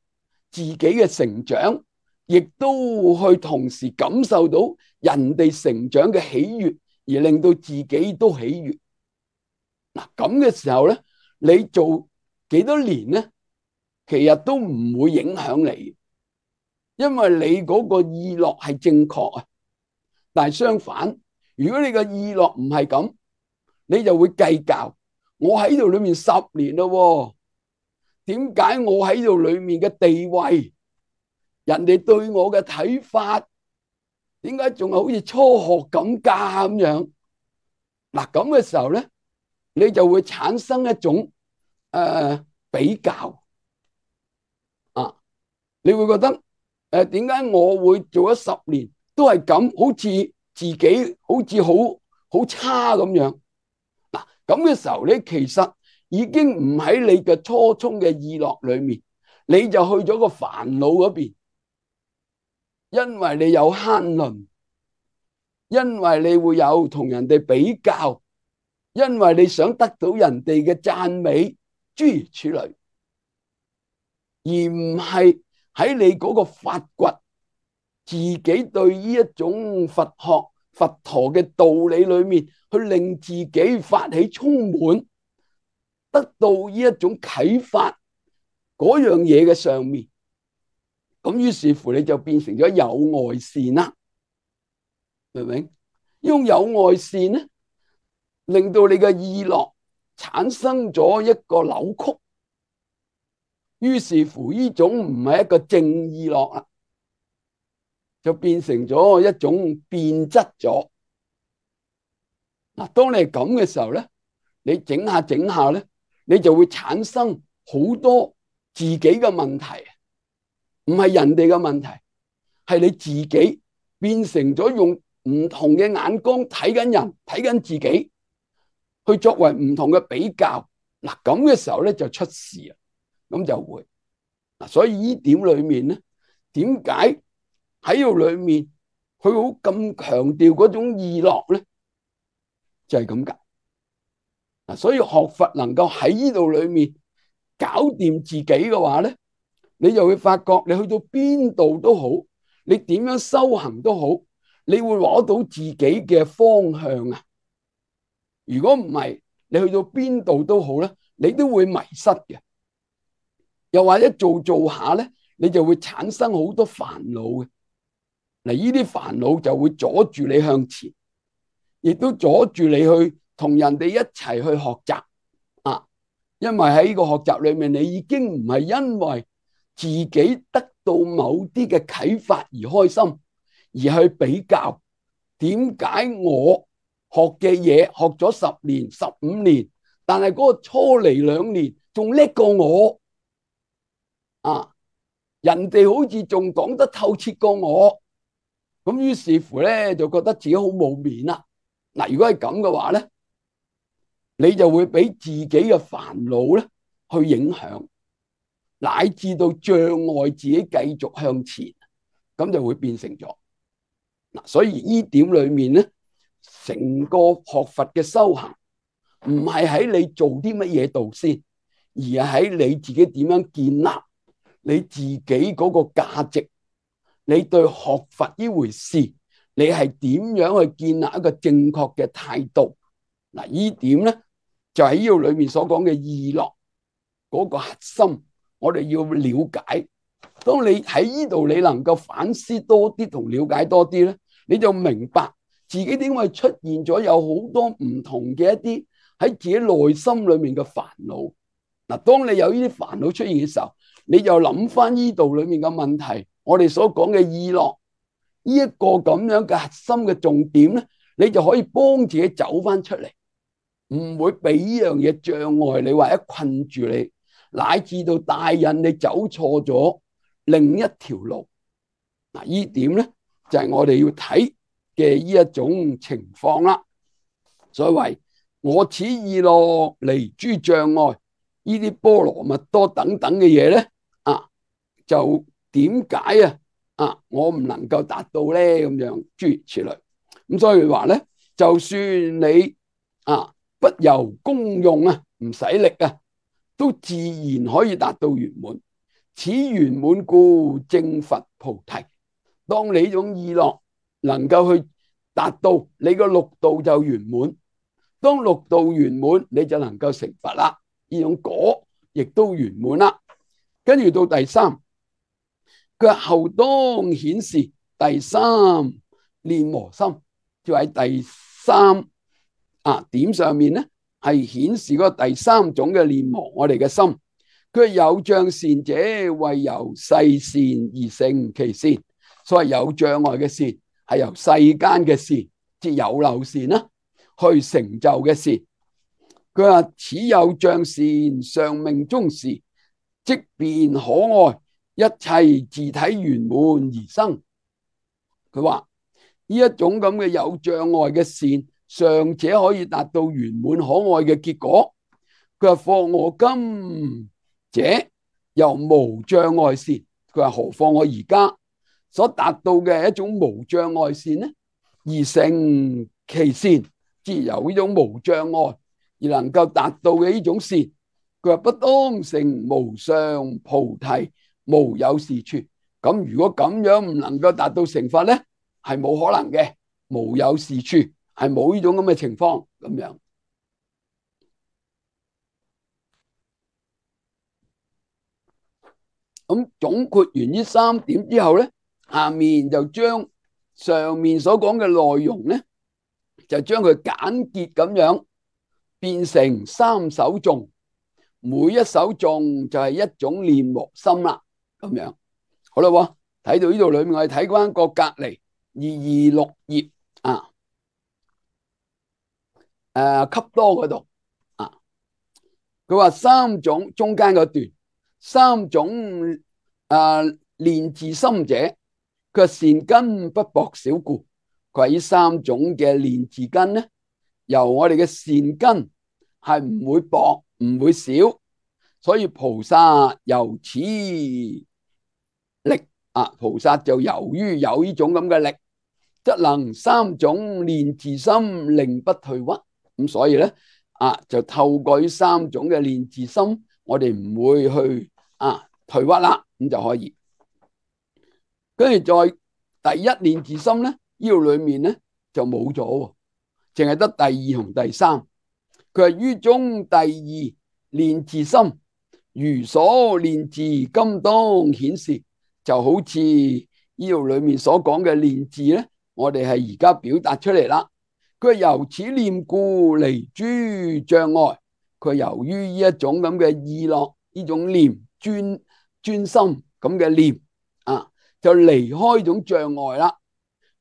自己嘅成長，亦都去同時感受到人哋成長嘅喜悅，而令到自己都喜悅。嗱，咁嘅時候咧，你做幾多年咧，其實都唔會影響你，因為你嗰個意樂係正確啊。但係相反，如果你個意樂唔係咁，你就會計較，我喺度裏面十年咯，點解我喺度裏面嘅地位，人哋對我嘅睇法，點解仲係好似初學咁噶咁樣？嗱，咁嘅時候咧，你就會產生一種誒、呃、比較啊，你會覺得誒點解我會做咗十年都係咁，好似自己好似好好差咁樣？嗱，咁嘅時候咧，其實已經唔喺你嘅初衷嘅意樂裏面，你就去咗個煩惱嗰邊，因為你有慳吝，因為你會有同人哋比較，因為你想得到人哋嘅讚美，諸如此類，而唔係喺你嗰個發掘自己對呢一種佛學佛陀嘅道理裏面，去令自己發起充滿，得到呢一種啟發嗰樣嘢嘅上面，咁於是乎你就變成咗有外善啦，明唔明？用有外善咧，令到你嘅意樂產生咗一個扭曲，於是乎呢種唔係一個正意樂啦，就變成咗一種變質咗。嗱，當你係咁嘅時候咧，你整下整下咧，你就會產生好多自己嘅問題，唔係人哋嘅問題，係你自己變成咗用唔同嘅眼光睇緊人，睇緊自己，去作為唔同嘅比較。嗱，咁嘅時候咧就出事啊，咁就會嗱，所以呢點裏面咧，點解喺度裏面佢好咁強調嗰種意樂咧？就係咁解嗱，所以學佛能夠喺呢度裏面搞掂自己嘅話咧，你就會發覺你去到邊度都好，你點樣修行都好，你會攞到自己嘅方向啊！如果唔係，你去到邊度都好咧，你都會迷失嘅。又或者做做下咧，你就會產生好多煩惱嘅。嗱，呢啲煩惱就會阻住你向前，亦都阻住你去同人哋一齊去學習啊！因為喺呢個學習裏面，你已經唔係因為自己得到某啲嘅啟發而開心，而去比較點解我學嘅嘢學咗十年、十五年，但係嗰個初嚟兩年仲叻過我啊！人哋好似仲講得透徹過我，咁於是乎咧就覺得自己好冇面啦。嗱，如果係咁嘅話咧，你就會俾自己嘅煩惱咧去影響，乃至到障礙自己繼續向前，咁就會變成咗嗱。所以呢點裏面咧，成個學佛嘅修行唔係喺你做啲乜嘢度先，而係喺你自己點樣建立你自己嗰個價值，你對學佛呢回事你係點樣去建立一個正確嘅態度？嗱，呢點咧就喺呢度裏面所講嘅意樂嗰個核心，我哋要了解。當你喺呢度你能夠反思多啲同了解多啲咧，你就明白自己點會出現咗有好多唔同嘅一啲喺自己內心裏面嘅煩惱。嗱，當你有呢啲煩惱出現嘅時候，你就諗翻呢度裏面嘅問題，我哋所講嘅意樂呢一個咁樣嘅核心嘅重點咧，你就可以幫自己走翻出嚟，唔會俾呢樣嘢障礙你或者困住你，乃至到帶引你走錯咗另一條路。嗱，呢點咧就係我哋要睇嘅呢一種情況啦。所謂我此意樂離諸障礙，呢啲波羅蜜多等等嘅嘢咧，啊，就點解啊？啊，我唔能夠達到咧，咁樣諸如此類。咁所以話咧，就算你啊不由功用啊，唔使力啊，都自然可以達到圓滿。此圓滿故正佛菩提。當你呢種意樂能夠去達到，你個六道就圓滿。當六道圓滿，你就能夠成佛啦。呢種果亦都圓滿啦。跟住到第三，佢後當顯示第三煉磨心，就喺第三啊點上面咧，係顯示嗰個第三種嘅煉磨我哋嘅心。佢有障善者，為由世善而成其善。所謂有障礙嘅善，係由世間嘅善，即有漏善啦，去成就嘅善。佢話此有障善，上命終時，即便可愛，一切自體圓滿而生。佢話呢一種咁嘅有障礙嘅善，尚且可以達到圓滿可愛嘅結果。佢話況我今者由無障礙善，佢話何況我而家所達到嘅一種無障礙善呢？而成其善，即由呢種無障礙而能夠達到嘅呢種善。佢話不當成無上菩提，無有是處。咁如果咁樣唔能夠達到成佛咧，係冇可能嘅。無有是處係冇呢種咁嘅情況咁樣。咁總括完呢三點之後咧，下面就將上面所講嘅內容咧，就將佢簡潔咁樣變成三首頌，每一首頌就係一種煉磨心啦，咁樣好啦。睇到呢度裏面，我哋睇翻個隔籬二二六頁啊，誒，笈多嗰度啊，佢話三種中間嗰段，三種誒煉自心者，佢善根不薄少故。佢話呢三種嘅煉自根咧，由我哋嘅善根係唔會薄唔會少，所以菩薩由此力啊，菩薩就由於有呢種咁嘅力，則能三種煉自心，令不退屈。咁所以咧啊，就透過呢三種嘅煉自心，我哋唔會去啊退屈啦，咁就可以。跟住再第一煉自心咧，呢度裏面咧就冇咗，淨係得第二同第三。佢係於中第二煉自心，如所煉自，今當顯示。就好似呢度裏面所講嘅煉自咧，我哋係而家表達出嚟啦。佢係由此念故離諸障礙。佢由於呢一種咁嘅意樂，呢種念專專心咁嘅念啊，就離開呢種障礙啦。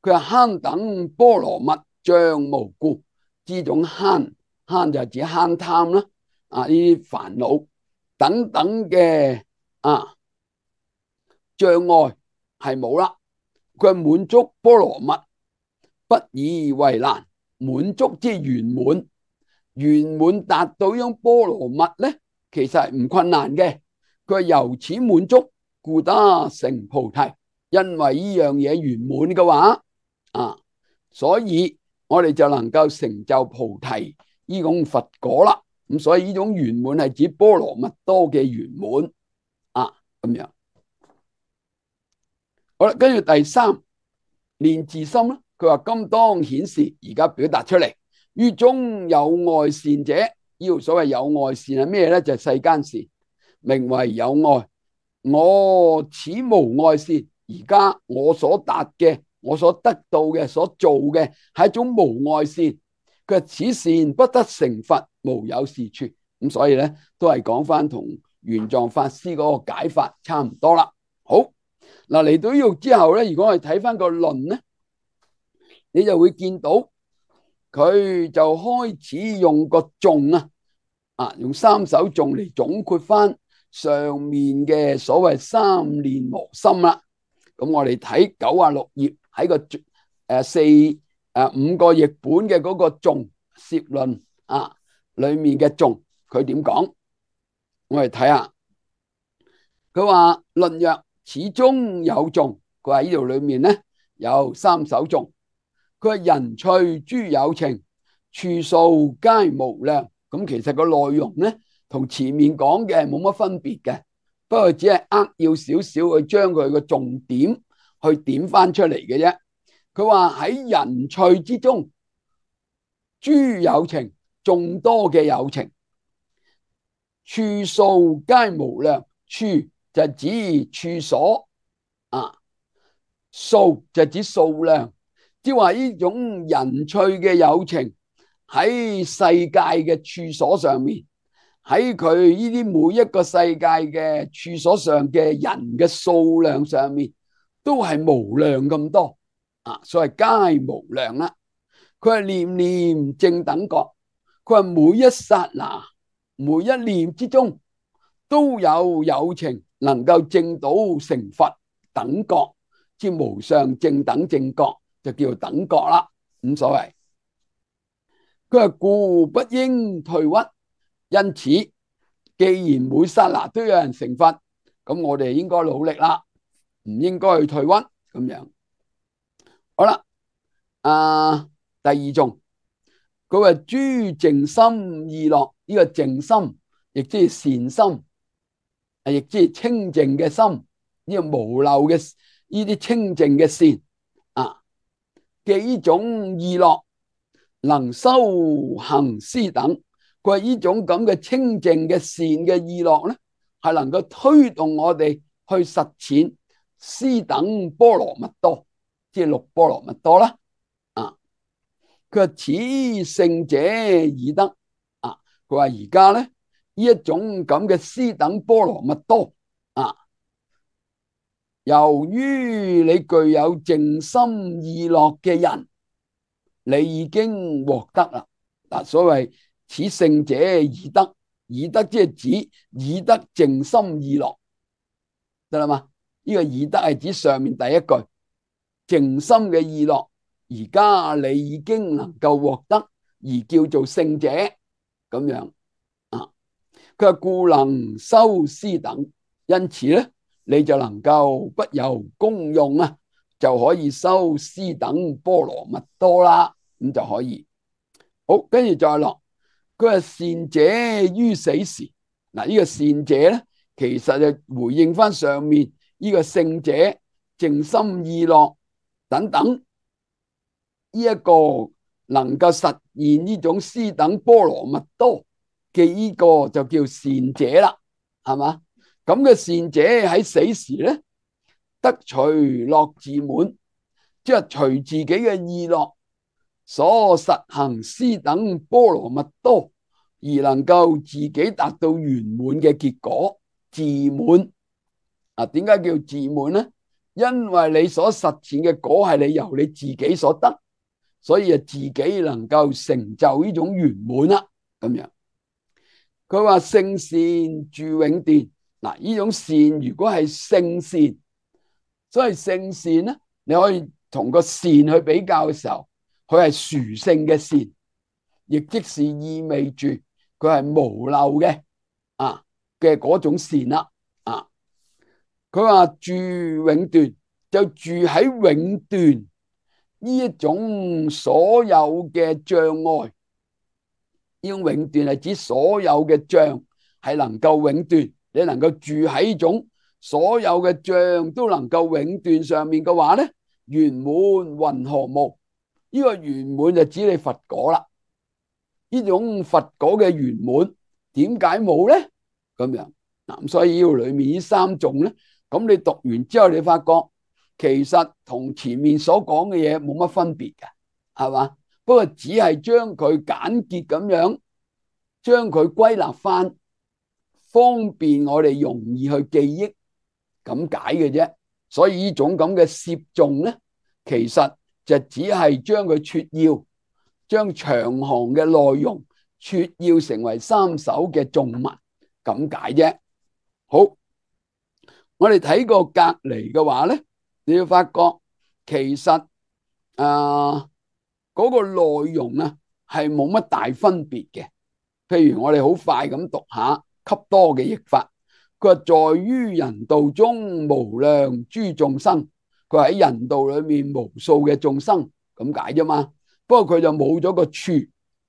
佢話慳等波羅蜜障無故，呢種慳慳就係指慳貪啦，啊呢啲煩惱等等嘅啊障礙係冇啦。佢滿足波羅蜜不以為難，滿足即係圓滿，圓滿達到呢種波羅蜜咧，其實係唔困難嘅。佢由此滿足，故得成菩提。因為呢樣嘢圓滿嘅話啊，所以我哋就能夠成就菩提呢種佛果啦。咁所以呢種圓滿係指波羅蜜多嘅圓滿啊，咁樣。好啦，跟住第三煉自心啦。佢話今當顯示，而家表達出嚟，於中有愛善者，呢個所謂有愛善係咩咧？就係世間善，名為有愛。我此無愛善，而家我所達嘅，我所得到嘅，所做嘅係一種無愛善。佢話此善不得成佛，無有是處。咁所以咧，都係講翻同玄奘法師嗰個解法差唔多啦。好，嗱，嚟到呢度之後咧，如果我哋睇翻個論咧，你就會見到佢就開始用個頌啊，啊用三首頌嚟總括翻上面嘅所謂三練磨心啦。咁我哋睇九啊六頁喺個誒四誒五個譯本嘅嗰個頌攝論啊裏面嘅頌，佢點講？我哋睇下，佢話論曰：此中有頌，佢話呢度裏面咧有三首頌。佢話人趣諸有情，處數皆無量。咁其實個內容咧同前面講嘅冇乜分別嘅，不過只係扼要少少去將佢個重點去點翻出嚟嘅啫。佢話喺人趣之中，諸有情，眾多嘅有情，處數皆無量。處就指處所啊，數就指數量，即係話呢種人趣嘅有情喺世界嘅處所上面，喺佢呢啲每一個世界嘅處所上嘅人嘅數量上面，都係無量咁多啊，所謂皆無量啦。佢係念念正等覺，佢係每一剎那每一念之中都有有情能夠證到成佛等覺，即無上正等正覺，就叫做等覺啦，咁所謂。佢話故不應退屈，因此既然每剎那都有人成佛，咁我哋應該努力啦，唔應該去退屈咁樣。好啦，啊第二頌，佢話諸淨心意樂，呢個淨心亦即係善心，亦即係清淨嘅心，呢個無漏嘅呢啲清淨嘅善啊嘅呢種意樂，能修行施等。佢話呢種咁嘅清淨嘅善嘅意樂咧，係能夠推動我哋去實踐施等波羅蜜多，即係六波羅蜜多啦。啊，佢話此聖者已得啊，佢話而家咧呢一種咁嘅施等波羅蜜多啊，由於你具有淨心意樂嘅人，你已經獲得啦。嗱，所謂此聖者已得，已得即係指已得淨心意樂，得啦嘛？呢個已得係指上面第一句淨心嘅意樂，而家你已經能夠獲得，而叫做聖者咁樣啊。佢話故能修施等，因此咧你就能夠不由功用啊，就可以修施等波羅蜜多啦，咁就可以。好，跟住再落，佢話善者於死時，嗱、這、呢個善者咧，其實就回應翻上面呢個聖者淨心意樂等等，呢一個能夠實現呢種施等波羅蜜多嘅呢個就叫善者啦，係嘛？咁嘅善者喺死時咧，得隨樂自滿，即係隨自己嘅意樂所實行施等波羅蜜多，而能夠自己達到圓滿嘅結果，自滿啊？點解叫自滿咧？因為你所實踐嘅果係你由你自己所得，所以啊自己能夠成就呢種圓滿啦。咁樣佢話聖善住永斷，嗱呢種善如果係聖善，所以聖善咧，你可以同個善去比較嘅時候，佢係殊勝嘅善，亦即是意味住佢係無漏嘅啊嘅嗰種善啦。啊，佢話住永斷就住喺永斷呢一種所有嘅障礙，呢種永斷係指所有嘅障係能夠永斷，你能夠住喺呢種所有嘅障都能夠永斷上面嘅話咧，圓滿云何無？呢個圓滿就指你佛果啦。呢種佛果嘅圓滿點解冇咧？咁樣嗱，所以呢度裏面呢三種咧，咁你讀完之後，你發覺其實同前面所講嘅嘢冇乜分別嘅，係嘛？不過只係將佢簡潔咁樣將佢歸納翻，方便我哋容易去記憶咁解嘅啫。所以呢種咁嘅攝頌咧，其實就只係將佢撮要，將長行嘅內容撮要成為三首嘅頌文咁解啫。好，我哋睇過隔離嘅話咧，你要發覺其實啊嗰個內容啊係冇乜大分別嘅。譬如我哋好快咁讀下笈多嘅譯法，佢話在於人道中無量諸眾生，佢話喺人道裏面無數嘅眾生咁解啫嘛。不過佢就冇咗個處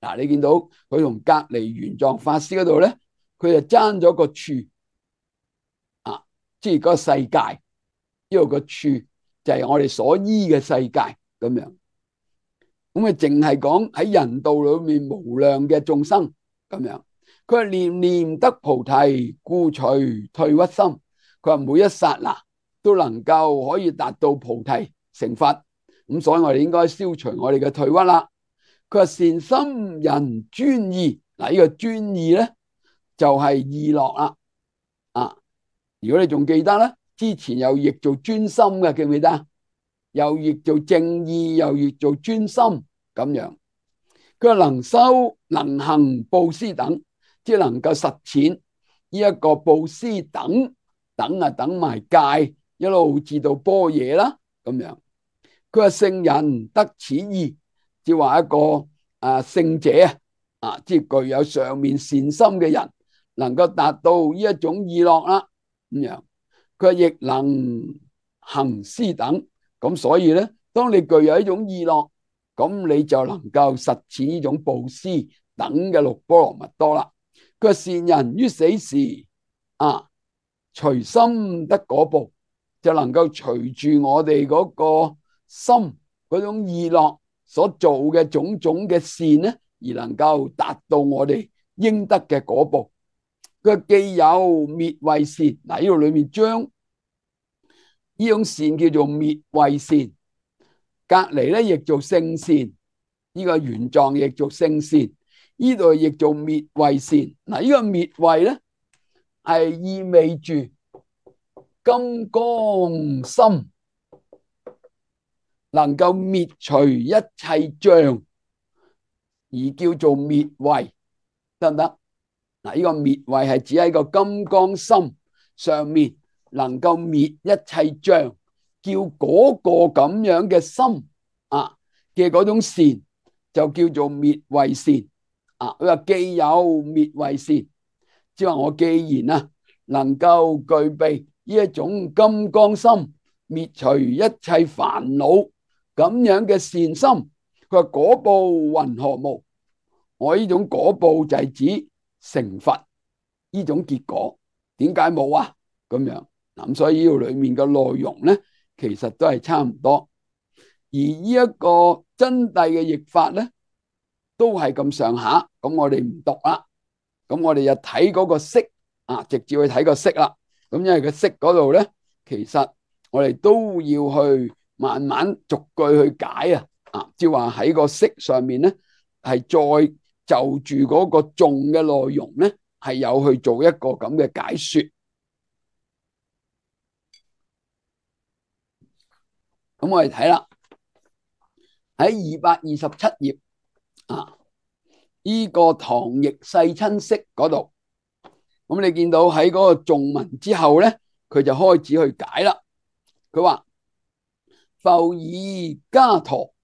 嗱，你見到佢同隔離玄奘法師嗰度咧，佢就爭咗個處啊，即係嗰個世界，呢個個處就係我哋所依嘅世界咁樣。咁啊，淨係講喺人道裏面無量嘅眾生咁樣。佢話念念得菩提，故除退屈心。佢話每一剎那都能夠可以達到菩提成佛。咁所以我哋應該消除我哋嘅退屈啦。佢話善心人專意，嗱、這、呢個專意咧就係意樂啦。啊，如果你仲記得咧，之前又譯做專心嘅，記唔記得？又譯做正意，又譯做專心咁樣。佢話能修能行布施等，即係能夠實踐呢一個布施等等啊，等埋戒一路至到般若啦咁樣。佢話聖人得此意，即係話一個啊聖者啊，啊即係具有上面善心嘅人，能夠達到呢一種意樂啦咁樣。佢話亦能行施等，咁所以咧，當你具有一種意樂，咁你就能夠實踐呢種布施等嘅六波羅蜜多啦。佢話善人於死時啊，隨心得果報，就能夠隨住我哋嗰個心嗰種意樂所做嘅種種嘅善咧，而能夠達到我哋應得嘅果報。佢既有滅慧善，嗱呢度裏面將呢種善叫做滅慧善，隔籬咧亦做聖善，呢、這個玄奘亦做聖善，呢度亦做滅慧善。嗱呢個滅慧咧係意味住金剛心，能夠滅除一切障，而叫做滅慧，得唔得？嗱，呢個滅慧係指喺個金剛心上面能夠滅一切障，叫嗰個咁樣嘅心啊嘅嗰種善就叫做滅慧善啊。佢話既有滅慧善，即係話我既然啊能夠具備呢一種金剛心，滅除一切煩惱咁樣嘅善心，佢話果報云何無？我呢種果報就係指成佛呢種結果，點解冇啊？咁樣咁，所以呢度裏面嘅內容咧，其實都係差唔多。而呢一個真諦嘅譯法咧，都係咁上下。咁我哋唔讀啦，咁我哋就睇嗰個釋啊，直接去睇個釋啦。咁因為個釋嗰度咧，其實我哋都要去慢慢逐句去解啊。啊，即係話喺個釋上面咧，係再就住嗰個頌嘅內容咧，係有去做一個咁嘅解說。咁我哋睇啦，喺二百二十七頁啊，呢個唐譯世親釋嗰度，咁你見到喺嗰個頌文之後咧，佢就開始去解啦。佢話復以伽陀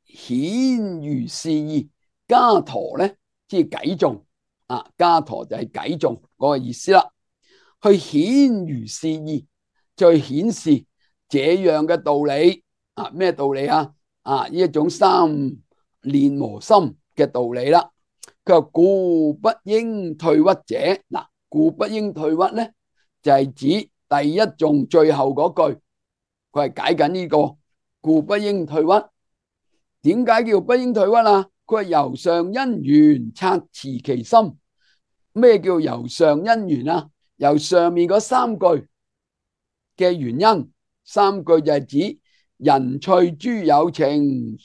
顯如是意，伽陀咧即係偈頌啊，伽陀就係偈頌嗰個意思啦。去顯如是意，再顯示這樣嘅道理啊，咩道理啊？啊，呢一種三練磨心嘅道理啦。佢話故不應退屈者，嗱，故不應退屈咧，就係指第一頌最後嗰句，佢係解緊呢個故不應退屈。點解叫不應退屈啊？佢話由上因緣察持其心。咩叫由上因緣啊？由上面嗰三句嘅原因，三句就係指人趣諸有情，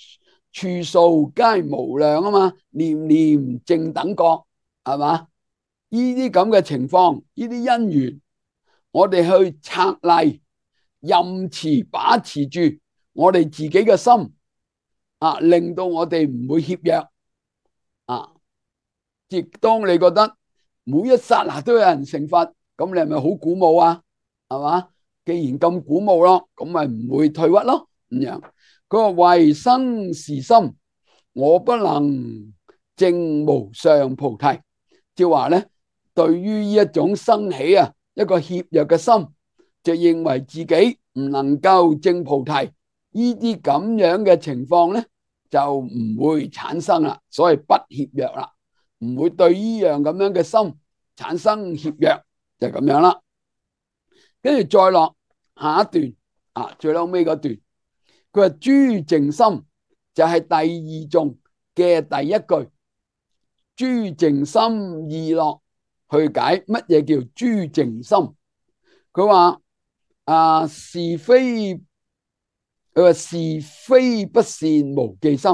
處數皆無量啊嘛，念念正等覺，係嘛？呢啲咁嘅情況，呢啲因緣，我哋去策勵、任持、把持住我哋自己嘅心啊，令到我哋唔會怯弱啊。亦當你覺得每一剎那都有人成佛，咁你係咪好鼓舞啊？係嘛？既然咁鼓舞咯，咁咪唔會退屈咯。咁樣佢話為生是心，我不能證無上菩提，即係話咧，對於呢一種生起啊一個怯弱嘅心，就認為自己唔能夠證菩提，呢啲咁樣嘅情況咧就唔會產生啦。所謂不怯弱啦，唔會對呢樣咁樣嘅心產生怯弱，就咁樣啦。跟住再落下一段啊，最後尾嗰段，佢話諸淨心就係第二頌嘅第一句，諸淨心意樂去解乜嘢叫諸淨心。佢話啊是非，佢話是非不善無記心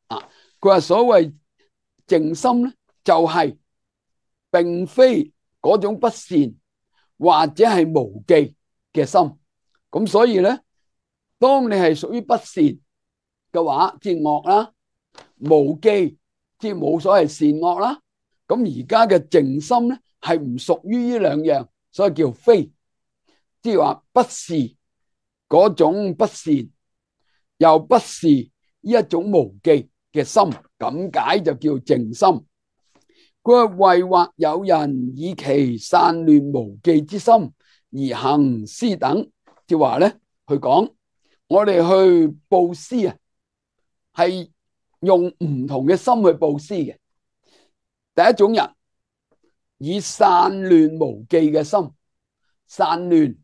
啊。佢話所謂淨心咧，就係並非嗰種不善或者係無記嘅心。咁所以咧，當你係屬於不善嘅話，即係惡啦；無記即係冇所謂善惡啦。咁而家嘅淨心咧係唔屬於呢兩樣，所以叫非，即係話不是嗰種不善，又不是呢一種無記嘅心，咁解就叫淨心。佢話為或有人以其散亂無記之心而行施等，即係話咧去講我哋去布施啊，係用唔同嘅心去布施嘅。第一種人以散亂無記嘅心，散亂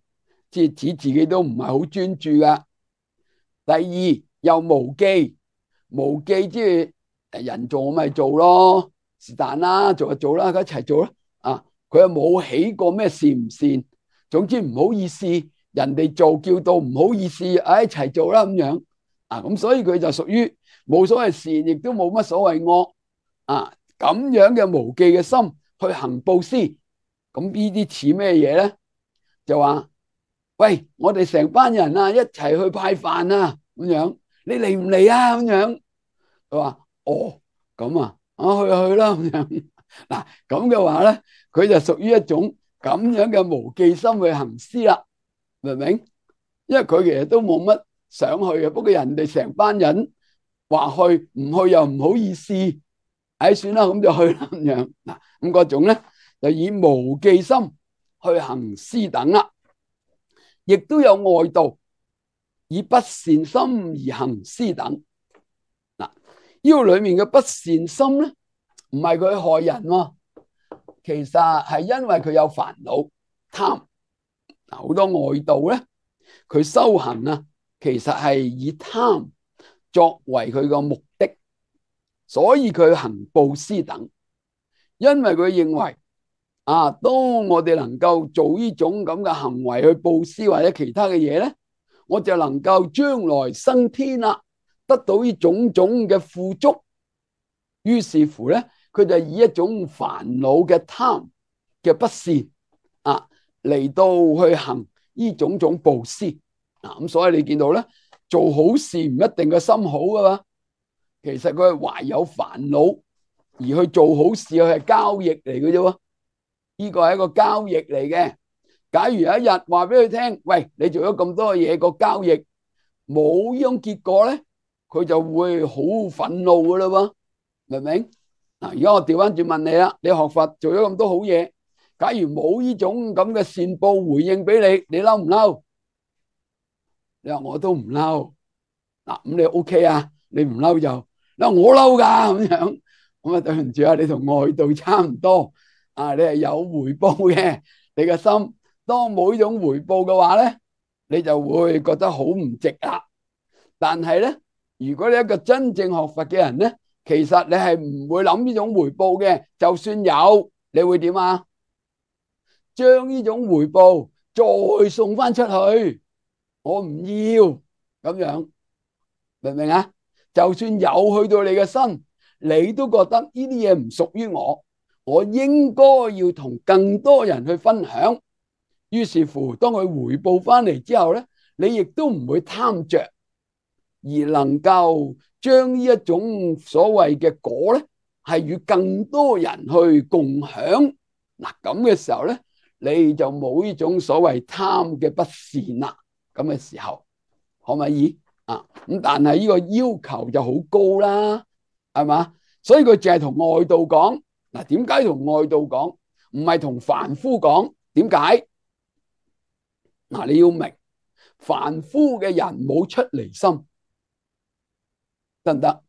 即係指自己都唔係好專注噶。第二又無記，無記即係人做我咪做咯，是但啦，做就做啦，佢一齊做啦。啊，佢又冇起過咩善唔善，總之唔好意思，人哋做叫到唔好意思，哎一齊做啦咁樣。啊，咁所以佢就屬於冇所謂善，亦都冇乜所謂惡啊。咁樣嘅無記嘅心去行布施，咁呢啲似咩嘢咧？就話喂，我哋成班人啊，一齊去派飯啊，咁樣你嚟唔嚟啊？咁樣佢話哦，咁啊，我去去啦咁樣。嗱，咁嘅話咧，佢就屬於一種咁樣嘅無記心去行施啦，明唔明？因為佢其實都冇乜想去嘅，不過人哋成班人話去，唔去又唔好意思。唉，算啦，咁就去啦咁樣。嗱，咁嗰種咧就以無記心去行施等啦，亦都有外道以不善心而行施等。嗱，呢個裏面嘅不善心咧，唔係佢害人喎，其實係因為佢有煩惱貪。嗱，好多外道咧，佢修行啊，其實係以貪作為佢個目的。所以佢行布施等，因為佢認為啊，當我哋能夠做呢種咁嘅行為去布施或者其他嘅嘢咧，我就能夠將來升天啦，得到呢種種嘅富足。於是乎咧，佢就以一種煩惱嘅貪嘅不善啊嚟到去行呢種種布施。嗱，咁所以你見到咧，做好事唔一定個心好噶嘛。其實佢係懷有煩惱而去做好事，佢係交易嚟嘅啫。呢個係一個交易嚟嘅。假如有一日話俾佢聽，喂，你做咗咁多嘢，個交易冇呢種結果咧，佢就會好憤怒噶啦喎，明唔明？嗱，而家我調翻轉問你啦，你學佛做咗咁多好嘢，假如冇呢種咁嘅善報回應俾你，你嬲唔嬲？你話我都唔嬲。嗱，咁你 OK 啊？你唔嬲就嗱，我嬲噶咁樣，咁啊對唔住啊，你同外道差唔多啊，你係有回報嘅，你嘅心當冇呢種回報嘅話咧，你就會覺得好唔值啦。但係咧，如果你一個真正學佛嘅人咧，其實你係唔會諗呢種回報嘅。就算有，你會點啊？將呢種回報再送翻出去，我唔要咁樣，明唔明啊？就算有去到你嘅身，你都覺得呢啲嘢唔屬於我，我應該要同更多人去分享。於是乎，當佢回報翻嚟之後咧，你亦都唔會貪着，而能夠將呢一種所謂嘅果咧，係與更多人去共享。嗱，咁嘅時候咧，你就冇呢種所謂貪嘅不善啦。咁嘅時候可唔可以啊？咁但係呢個要求就好高啦，係嘛？所以佢淨係同外道講。嗱，點解同外道講，唔係同凡夫講？點解？嗱，你要明，凡夫嘅人冇出離心，得唔得？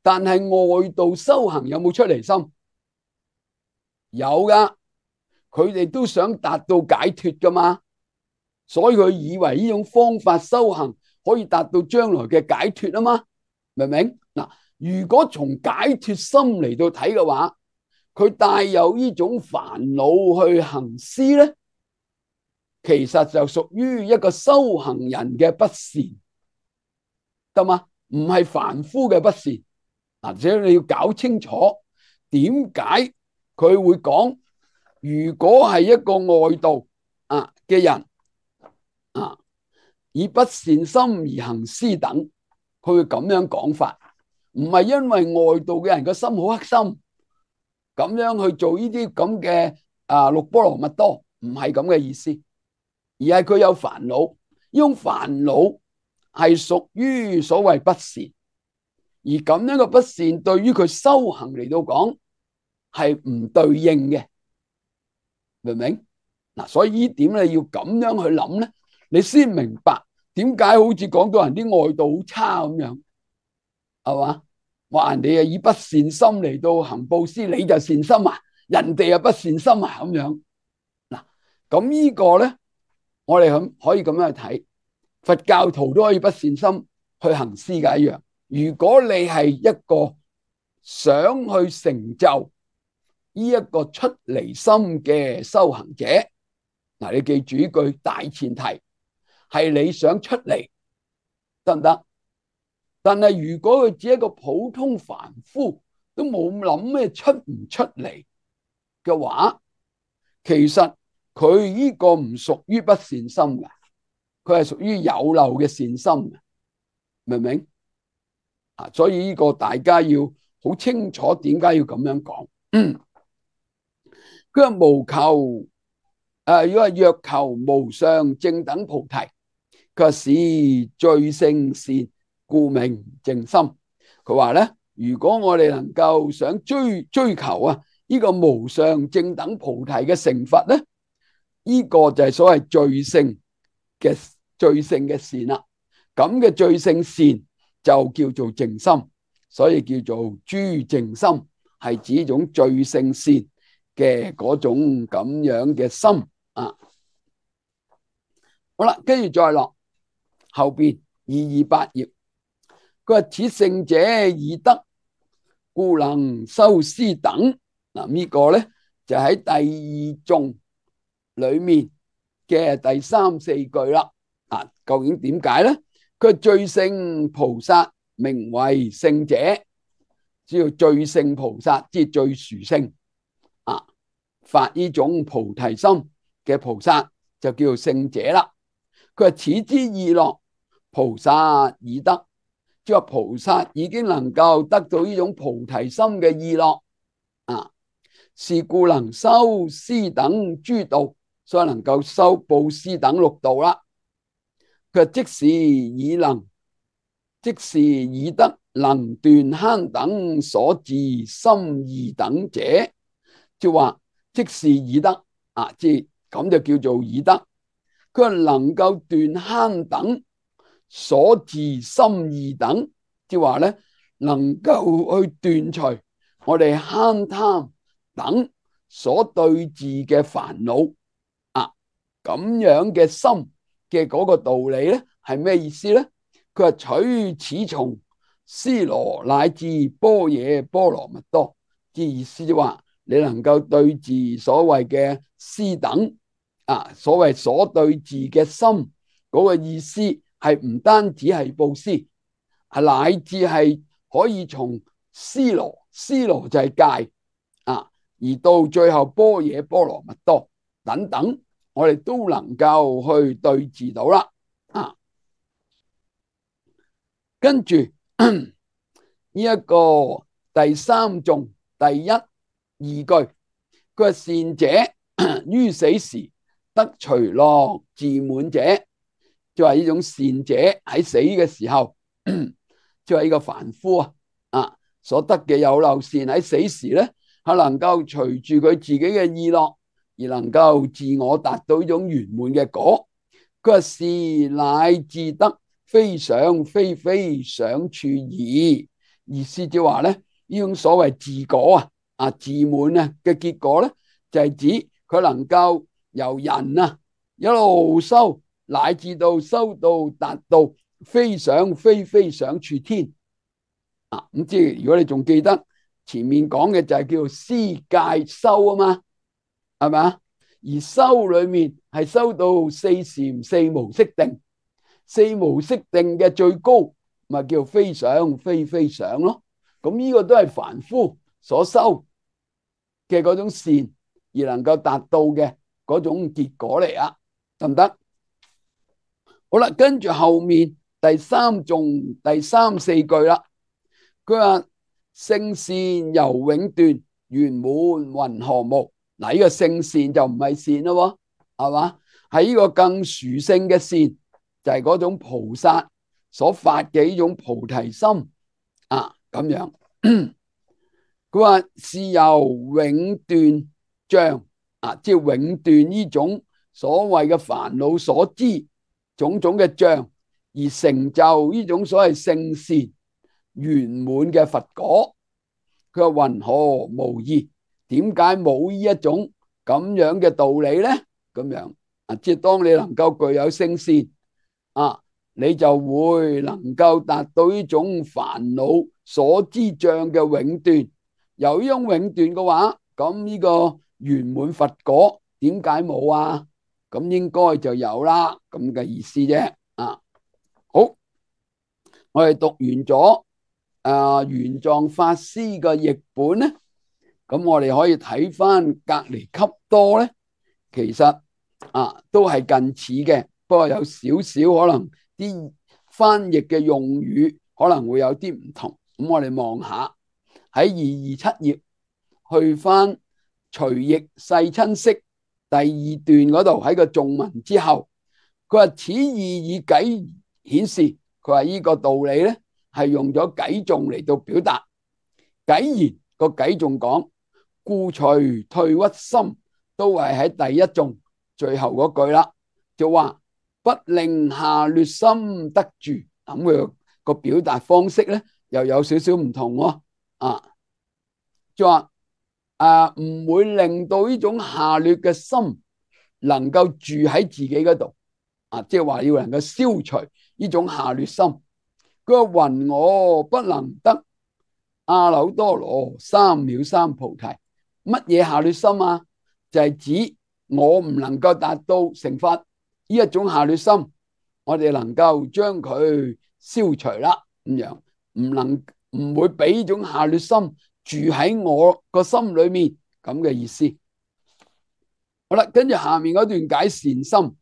但係外道修行有冇出離心？有噶，佢哋都想達到解脫噶嘛，所以佢以為呢種方法修行可以達到將來嘅解脫啊嘛，明唔明？嗱，如果從解脫心嚟到睇嘅話，佢帶有呢種煩惱去行施咧，其實就屬於一個修行人嘅不善，得嘛？唔係凡夫嘅不善。嗱，所以你要搞清楚點解佢會講，如果係一個外道啊嘅人啊，以不善心而行施等，佢會咁樣講法，唔係因為外道嘅人個心好黑心，咁樣去做呢啲咁嘅啊六波羅蜜多，唔係咁嘅意思，而係佢有煩惱，呢種煩惱係屬於所謂不善，而咁樣嘅不善對於佢修行嚟到講係唔對應嘅，明唔明？嗱，所以呢點你要咁樣去諗咧，你先明白點解好似講到人啲外道好差咁樣，係嘛？話人哋啊以不善心嚟到行布施，你就善心啊，人哋又不善心啊咁樣。嗱，咁呢個咧，我哋咁可以咁樣去睇，佛教徒都可以不善心去行施嘅一樣。如果你係一個想去成就呢一個出離心嘅修行者，嗱，你記住呢句大前提係你想出離，得唔得？但係如果佢只係一個普通凡夫，都冇諗咩出唔出嚟嘅話，其實佢呢個唔屬於不善心嘅，佢係屬於有漏嘅善心，明唔明？啊，所以呢個大家要好清楚點解要咁樣講。佢話無求，誒，如果係若求無上正等菩提，佢話是最勝善，故名淨心。佢話咧，如果我哋能夠想追追求啊呢個無上正等菩提嘅成佛咧，呢個就係所謂最勝嘅最勝嘅善啦。咁嘅最勝善就叫做淨心，所以叫做諸淨心，係指一種最勝善嘅嗰種咁樣嘅心啊。好啦，跟住再落後邊二二八頁，佢話此聖者已得，故能修施等。嗱，呢個咧就喺第二頌裏面嘅第三四句啦。啊，究竟點解咧？佢最勝菩薩名為聖者，只要最勝菩薩即係最殊勝啊，發呢種菩提心嘅菩薩就叫做聖者啦。佢話此之意樂，菩薩已得，即係話菩薩已經能夠得到呢種菩提心嘅意樂啊，是故能修施等諸道，所以能夠修布施等六道啦。佢即是已能，即是已得能斷慳等所自心二等者，即係話即是已得啊，即係咁就叫做已得。佢話能夠斷慳等所自心二等，即係話咧能夠去斷除我哋慳貪等所對治嘅煩惱啊，咁樣嘅心嘅嗰個道理咧係咩意思咧？佢話取此從尸羅乃至般若波羅蜜多。之意思就話你能夠對治所謂嘅施等啊，所謂所對治嘅心嗰個意思係唔單止係布施，係乃至係可以從尸羅，尸羅就係戒啊，而到最後般若波羅蜜多等等，我哋都能夠去對治到啦啊。跟住呢一個第三頌第一二句，佢話善者於死時得隨樂自滿者，就係呢種善者喺死嘅時候，就係呢個凡夫啊啊所得嘅有漏善喺死時咧，係能夠隨住佢自己嘅意樂而能夠自我達到呢種圓滿嘅果。佢話是乃至得非想非非想處矣。意思就話咧，呢種所謂自果啊啊自滿啊嘅結果咧，就係指佢能夠由人啊一路修，乃至到修到達到非想非非想處天啊。咁即係如果你仲記得前面講嘅就係叫做施戒修啊嘛，係咪啊？而修裏面係修到四禪四無色定，四無色定嘅最高咪叫非想非非想咯。咁呢個都係凡夫所修嘅嗰種善而能夠達到嘅嗰種結果嚟啊，得唔得？好啦，跟住後面第三頌第三四句啦，佢話聖善猶永斷，圓滿云何無？嗱，呢個聖善就唔係善咯，係嘛？係呢個更殊勝嘅善，就係嗰種菩薩所發嘅呢種菩提心啊，咁樣。佢話是由永斷障啊，即係永斷呢種所謂嘅煩惱所知種種嘅障，而成就呢種所謂聖善圓滿嘅佛果。佢話云何無異？點解冇呢一種咁樣嘅道理咧？咁樣啊，即係當你能夠具有聖善啊，你就會能夠達到呢種煩惱所知障嘅永斷。由呢種永斷嘅話，咁呢個圓滿佛果點解冇啊？咁應該就有啦，咁嘅意思啫。啊，好，我哋讀完咗啊玄奘法師嘅譯本咧。咁我哋可以睇翻隔離笈多咧，其實啊都係近似嘅，不過有少少可能啲翻譯嘅用語可能會有啲唔同。咁我哋望下喺二二七頁去翻隨譯世親釋第二段嗰度，喺個頌文之後，佢話此意以偈顯示，佢話呢個道理咧係用咗偈頌嚟到表達。偈言個偈頌講，故隨退屈心，都係喺第一頌最後嗰句啦，就話不令下劣心得住。咁佢個表達方式咧又有少少唔同喎。啊，就話啊唔會令到呢種下劣嘅心能夠住喺自己嗰度啊，即係話要能夠消除呢種下劣心。佢話云我不能得阿耨多羅三藐三菩提。乜嘢下劣心啊？就係指我唔能夠達到成佛呢一種下劣心，我哋能夠將佢消除啦，咁樣唔能唔會俾呢種下劣心住喺我個心裏面，咁嘅意思。好啦，跟住下面嗰段解善心，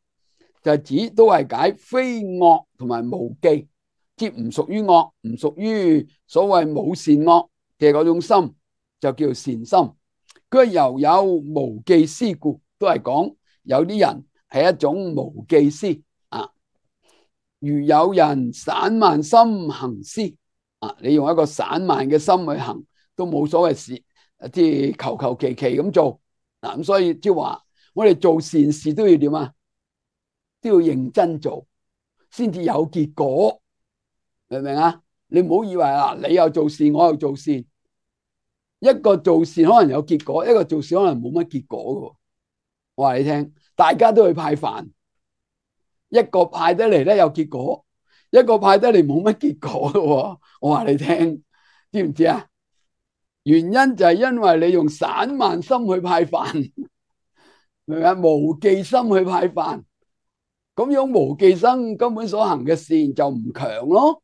就係指都係解非惡同埋無記，即唔屬於惡，唔屬於所謂冇善惡嘅嗰種心，就叫善心。佢又有無記施故，都係講有啲人係一種無記施啊。如有人散漫心行施啊，你用一個散漫嘅心去行都冇所謂事，即係求求其其咁做嗱。咁所以即係話，我哋做善事都要點啊？都要認真做，先至有結果，明唔明啊？你唔好以為啊，你又做善，我又做善。一個做善可能有結果，一個做善可能冇乜結果嘅。我話你聽，大家都去派飯，一個派得嚟咧有結果，一個派得嚟冇乜結果嘅喎。我話你聽，知唔知啊？原因就係因為你用散漫心去派飯，明唔明啊？無記心去派飯，咁樣無記心根本所行嘅善就唔強咯。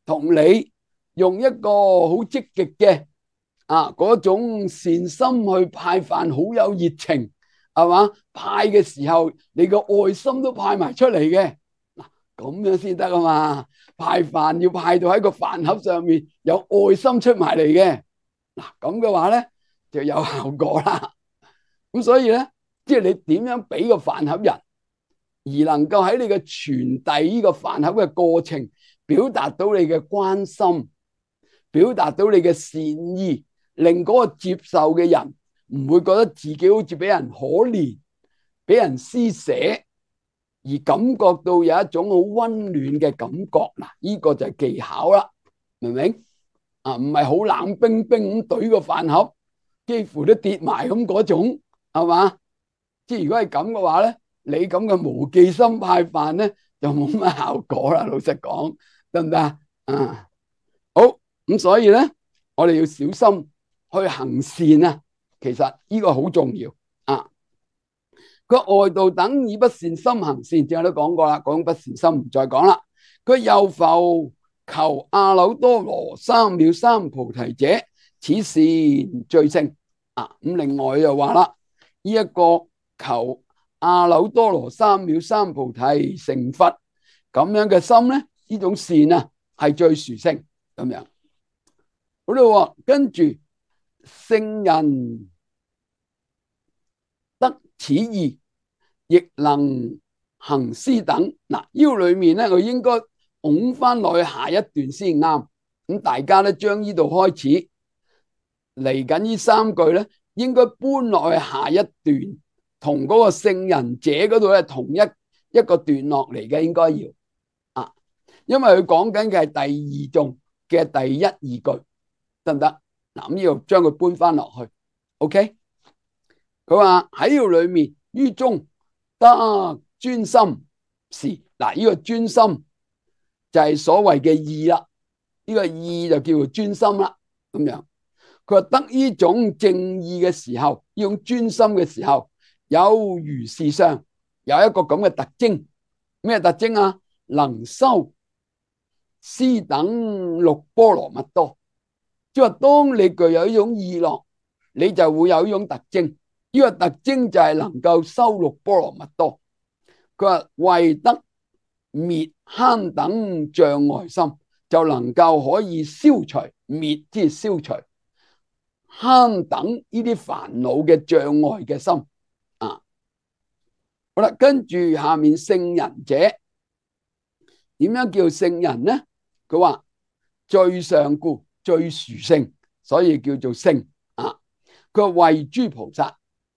同你用一個好積極嘅啊嗰種善心去派飯，好有熱情，係嘛？派嘅時候，你個愛心都派埋出嚟嘅，嗱咁樣先得啊嘛！派飯要派到喺個飯盒上面有愛心出埋嚟嘅，嗱咁嘅話咧就有效果啦。咁所以咧，即係你點樣俾個飯盒人，而能夠喺你嘅傳遞呢個飯盒嘅過程，表達到你嘅關心，表達到你嘅善意，令嗰個接受嘅人唔會覺得自己好似俾人可憐，俾人施捨，而感覺到有一種好溫暖嘅感覺。嗱，呢個就係技巧啦，明唔明啊？唔係好冷冰冰咁懟個飯盒，幾乎都跌埋咁嗰種，係嘛？即係如果係咁嘅話咧，你咁嘅無記心派飯咧，就冇乜效果啦。老實講，得唔得啊？啊，好，咁所以咧，我哋要小心去行善啊。其實呢個好重要啊。佢外道等以不善心行善，正我都講過啦，講不善心唔再講啦。佢又復求阿耨多羅三藐三菩提者，此善最勝啊。咁另外又話啦，呢一個求阿耨多羅三藐三菩提成佛咁樣嘅心咧，呢種善啊係最殊勝咁樣。好啦，跟住聖人得此意，亦能行施等。嗱，呢個裏面咧，佢應該拱翻落去下一段先啱。咁大家咧將呢度開始嚟緊呢三句咧，應該搬落去下一段，同嗰個聖人者嗰度咧同一一個段落嚟嘅，應該要啊，因為佢講緊嘅係第二頌嘅第一二句，得唔得？嗱，咁呢度將佢搬翻落去 ，OK？ 佢話喺呢度裏面於中得專心時，嗱，呢個專心就係所謂嘅意啦，呢個意就叫做專心啦，咁樣。佢話得呢種正意嘅時候，呢種專心嘅時候，有如是相，有一個咁嘅特徵。咩特徵啊？能修施等六波羅蜜多。即係話當你具有呢種意樂，你就會有呢種特徵。呢個特徵就係能夠修六波羅蜜多。佢話為得滅慳等障礙心，就能夠可以消除滅，即係消除慳等呢啲煩惱嘅障礙嘅心啊。好啦，跟住下面聖人者，點樣叫聖人呢？佢話最上故，最殊勝，所以叫做聖啊。佢話為諸菩薩，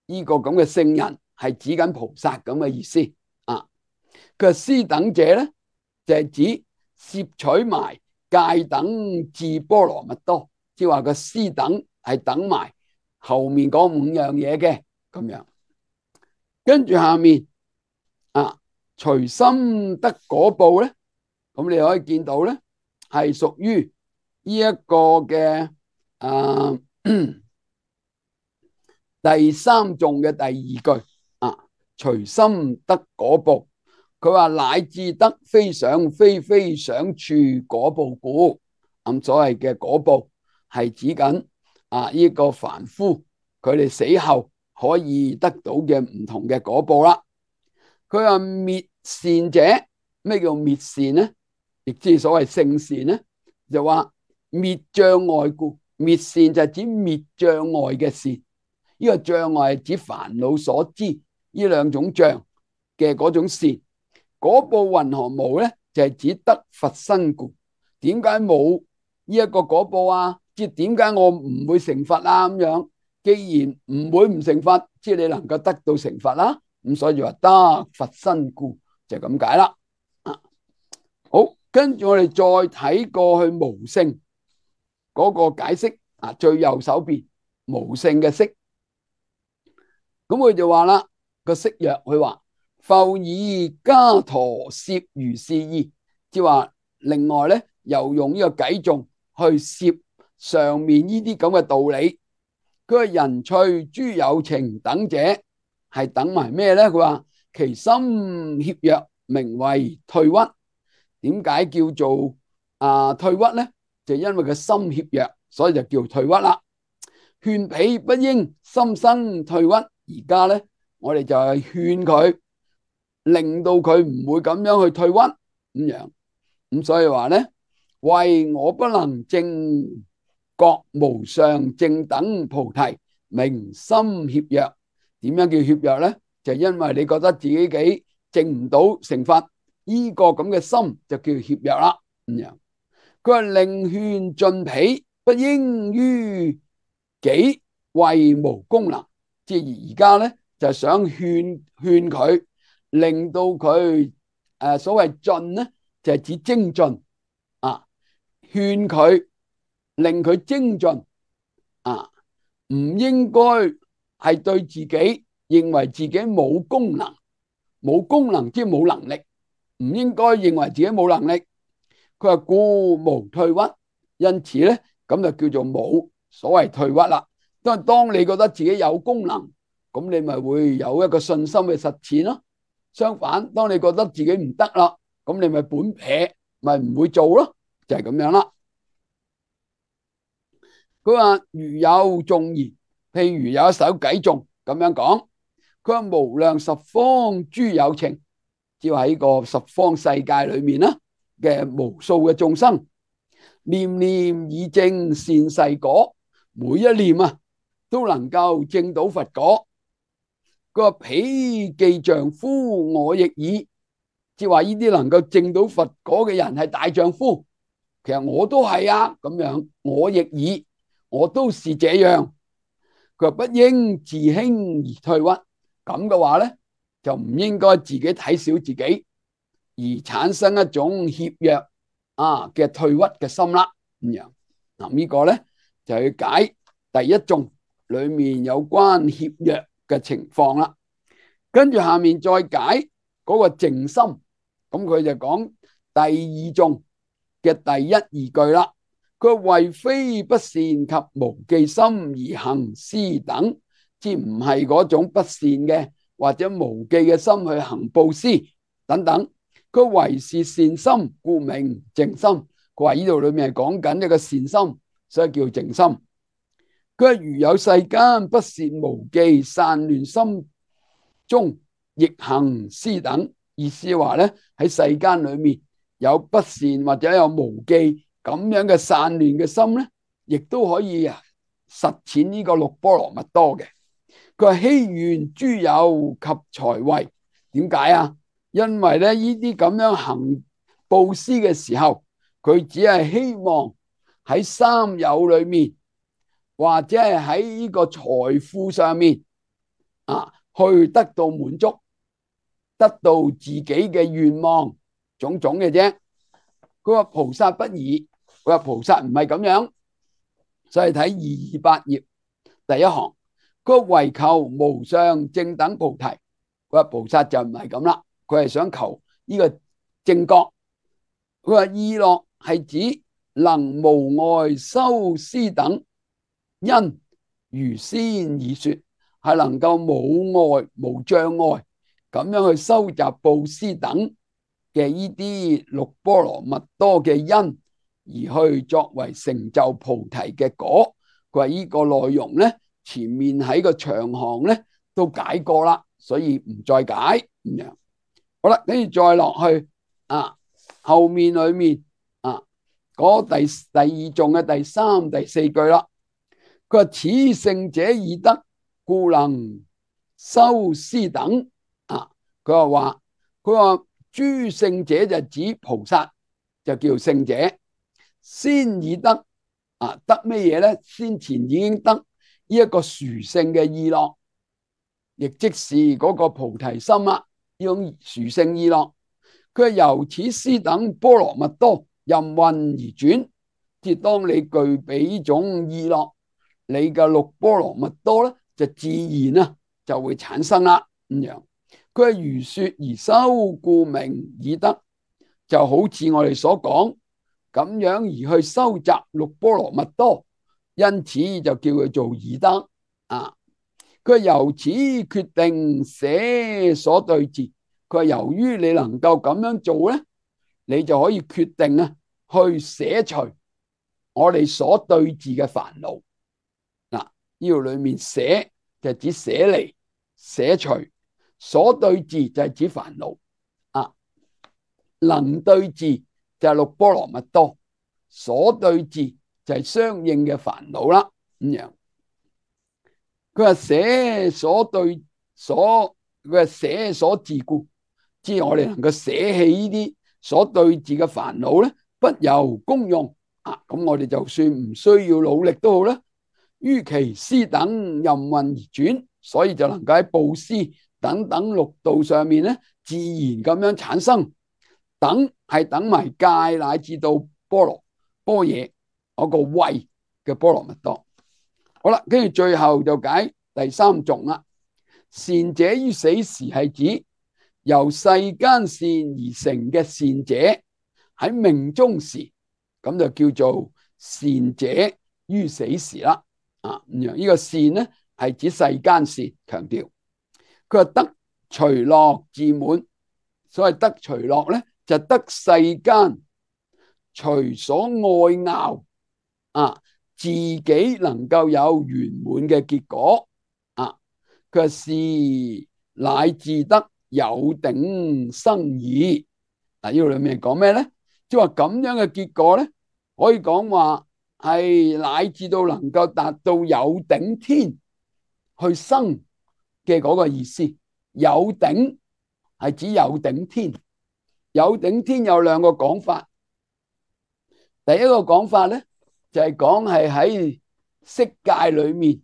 呢個咁嘅聖人係指緊菩薩咁嘅意思啊。佢話施等者咧，就係指攝取埋戒等至波羅蜜多，即係話個施等係等埋後面嗰五樣嘢嘅咁樣。跟住下面啊，隨心得果報咧，咁你可以見到咧，係屬於呢一個嘅啊第三頌嘅第二句啊，隨心得果報。佢話乃至得非想非非想處果報故。咁所謂嘅果報係指緊啊呢個凡夫佢哋死後可以得到嘅唔同嘅果報啦。佢話滅善者，咩叫滅善呢？亦即係所謂聖善呢，就話滅障礙故。滅善就係指滅障礙嘅善，呢個障礙係指煩惱所知呢兩種障嘅嗰種善。果報云何無咧？就係指得佛身故。點解冇呢一個果報啊？即係點解我唔會成佛啊？咁樣，既然唔會唔成佛，即係你能夠得到成佛啦。咁所以話得佛身故就咁解啦。好，跟住我哋再睇過去無勝嗰個解釋啊，最右手邊無勝嘅釋，咁佢就話啦，個釋約佢話。復以伽陀攝如是意，即係話另外咧又用呢個偈頌去攝上面呢啲咁嘅道理。佢話人趣諸有情等者係等埋咩咧？佢話其心怯弱，名為退屈。點解叫做啊退屈咧？就因為佢心怯弱，所以就叫退屈啦。勸彼不應心生退屈。而家咧，我哋就係勸佢，令到佢唔會咁樣去退屈咁樣。咁所以話咧，為我不能證覺無上正等菩提，名心怯弱。點樣叫怯弱咧？就因為你覺得自己幾證唔到成佛，呢個咁嘅心就叫怯弱啦。咁樣，佢話令勸盡彼不應於己為無功能。即係而家咧就想勸勸佢，令到佢誒所謂盡咧就係指精進啊，勸佢令佢精進啊，唔應該係對自己認為自己冇功能，冇功能即係冇能力，唔應該認為自己冇能力。佢話故無退屈，因此咧咁就叫做冇所謂退屈啦。因為當你覺得自己有功能，咁你咪會有一個信心嘅實踐咯。相反，當你覺得自己唔得啦，咁你咪本撇，咪唔會做咯，就係咁樣啦。佢話如有頌言，譬如有一首偈頌咁樣講，佢話無量十方諸有情，只要喺個十方世界裏面啦嘅無數嘅眾生，念念已證善逝果，每一念啊都能夠證到佛果。佢話彼既丈夫，我亦爾，即係話呢啲能夠證到佛果嘅人係大丈夫，其實我都係啊，咁樣我亦爾，我都是這樣。佢話不應自輕而退屈，咁嘅話咧就唔應該自己睇小自己，而產生一種怯弱啊嘅退屈嘅心啦。咁樣嗱，呢個咧就去解第一頌裏面有關怯弱嘅情況啦。跟住下面再解嗰個靜心，咁佢就講第二頌嘅第一二句啦。佢為非不善及無記心而行施等，即唔係嗰種不善嘅或者無記嘅心去行布施等等。佢為是善心，故名靜心。佢話呢度裏面係講緊一個善心，所以叫靜心。佢話如有世間不善無記散亂心中，亦行施等。意思話咧，喺世間裏面有不善或者有無記咁樣嘅散亂嘅心咧，亦都可以實踐呢個六波羅蜜多嘅。佢話希願諸有及財位，點解啊？因為咧呢啲咁樣行布施嘅時候，佢只係希望喺三有裏面，或者係喺呢個財富上面啊，去得到滿足，得到自己嘅願望種種嘅啫。佢話菩薩不爾。佢話菩薩唔係咁樣，所以睇二二八頁第一行，佢為求無上正等菩提。佢話菩薩就唔係咁啦，佢係想求呢個正覺。佢話意樂係指能無礙修施等，因如先已說，係能夠冇礙無障礙咁樣去收集布施等嘅呢啲六波羅蜜多嘅因，而去作為成就菩提嘅果。佢話呢個內容咧，前面喺個長行咧都解過啦，所以唔再解咁樣。好啦，跟住再落去啊，後面裏面啊嗰第第二頌嘅第三、第四句啦。佢話此聖者已得，故能修施等啊。佢話話佢話諸聖者就指菩薩，就叫聖者。先已得啊，得咩嘢咧？先前已經得呢一個殊勝嘅意樂，亦即是嗰個菩提心啊，呢種殊勝意樂。佢係由此施等波羅蜜多任運而轉，即係當你具備呢種意樂，你嘅六波羅蜜多咧就自然啊就會產生啦咁樣。佢係如說而修，故名已得。就好似我哋所講咁樣而去收集六波羅蜜多，因此就叫佢做義德啊。佢由此決定捨所對治。佢話由於你能夠咁樣做咧，你就可以決定啊去捨除我哋所對治嘅煩惱。嗱，呢度裏面捨就係指捨離、捨除，所對治就係指煩惱啊。能對治就係六波羅蜜多，所對治就係相應嘅煩惱啦。咁樣，佢話捨所對所，佢話捨所治故，即係我哋能夠捨棄呢啲所對治嘅煩惱咧，不由功用啊。咁我哋就算唔需要努力都好啦，於其施等任運而轉，所以就能夠喺布施等等六道上面咧，自然咁樣產生。等係等埋戒乃至到波羅般若嗰個慧嘅波羅蜜多。好啦，跟住最後就解第三頌啦。善者於死時係指由世間善而成嘅善者喺命終時，咁就叫做善者於死時啦。啊，咁樣呢個善呢係指世間善，強調佢話得隨樂自滿。所謂得隨樂咧，就得世間隨所愛樂啊，自己能夠有圓滿嘅結果啊。佢話是乃至得有頂生義。嗱，呢度裏面講咩咧？即係話咁樣嘅結果咧，可以講話係乃至到能夠達到有頂天去生嘅嗰個意思。有頂係指有頂天，有頂天有兩個講法。第一個講法咧，就係講係喺色界裏面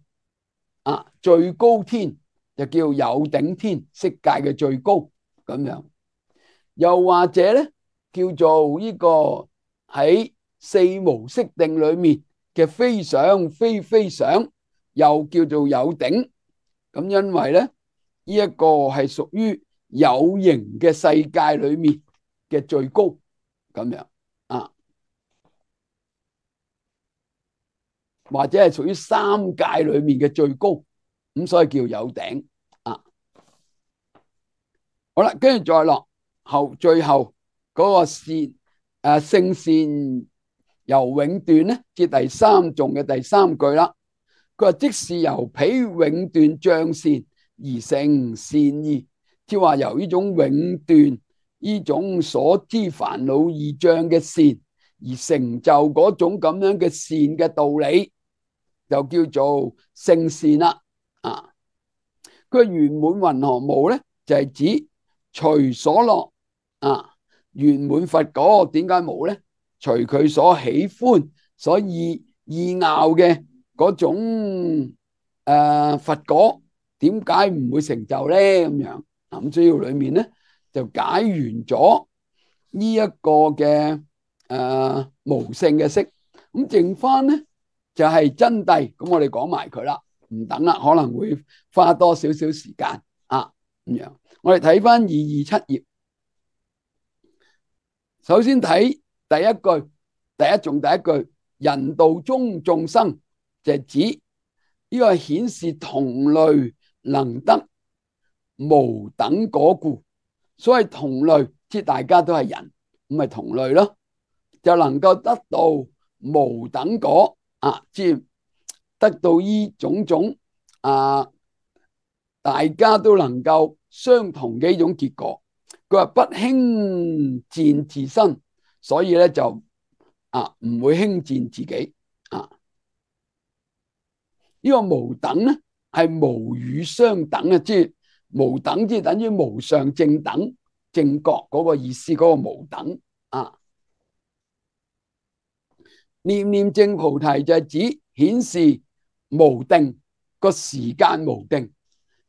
啊，最高天就叫有頂天，色界嘅最高咁樣。又或者咧，叫做呢個喺四無色定裏面嘅非想非非想，又叫做有頂。咁因為咧，呢一個係屬於有形嘅世界裏面嘅最高咁樣啊，或者係屬於三界裏面嘅最高，咁所以叫有頂啊。好啦，跟住再落後，最後嗰個善誒聖善由永斷咧，至第三頌嘅第三句啦。佢話即是由彼永斷障善而成善義，即係話由呢種永斷呢種所知煩惱二障嘅善而成就嗰種咁樣嘅善嘅道理，就叫做聖善啦。啊，佢圓滿雲何無咧，就係指隨所樂啊。圓滿佛果點解冇咧？隨佢所喜歡、所意意拗嘅嗰種誒、呃、佛果，點解唔會成就咧？咁樣咁主要裏面咧就解完咗呢一個嘅誒、呃、無性嘅色，咁剩翻咧就係、是、真諦。咁我哋講埋佢啦，唔等啦，可能會花多少少時間啊。咁樣我哋睇翻二二七頁，首先睇第一句，第一頌第一句，人道中眾生，就係指呢個顯示同類能得無等果故。所謂同類，即大家都係人，咁咪同類咯，就能夠得到無等果啊，即得到呢種種啊，大家都能夠相同嘅一種結果。佢話不輕賤自身，所以咧就啊唔會輕賤自己啊。呢個無等咧係無與相等嘅，即係無等即係等於無上正等正覺嗰個意思，嗰個無等啊。念念正菩提就係指顯示無定，個時間無定，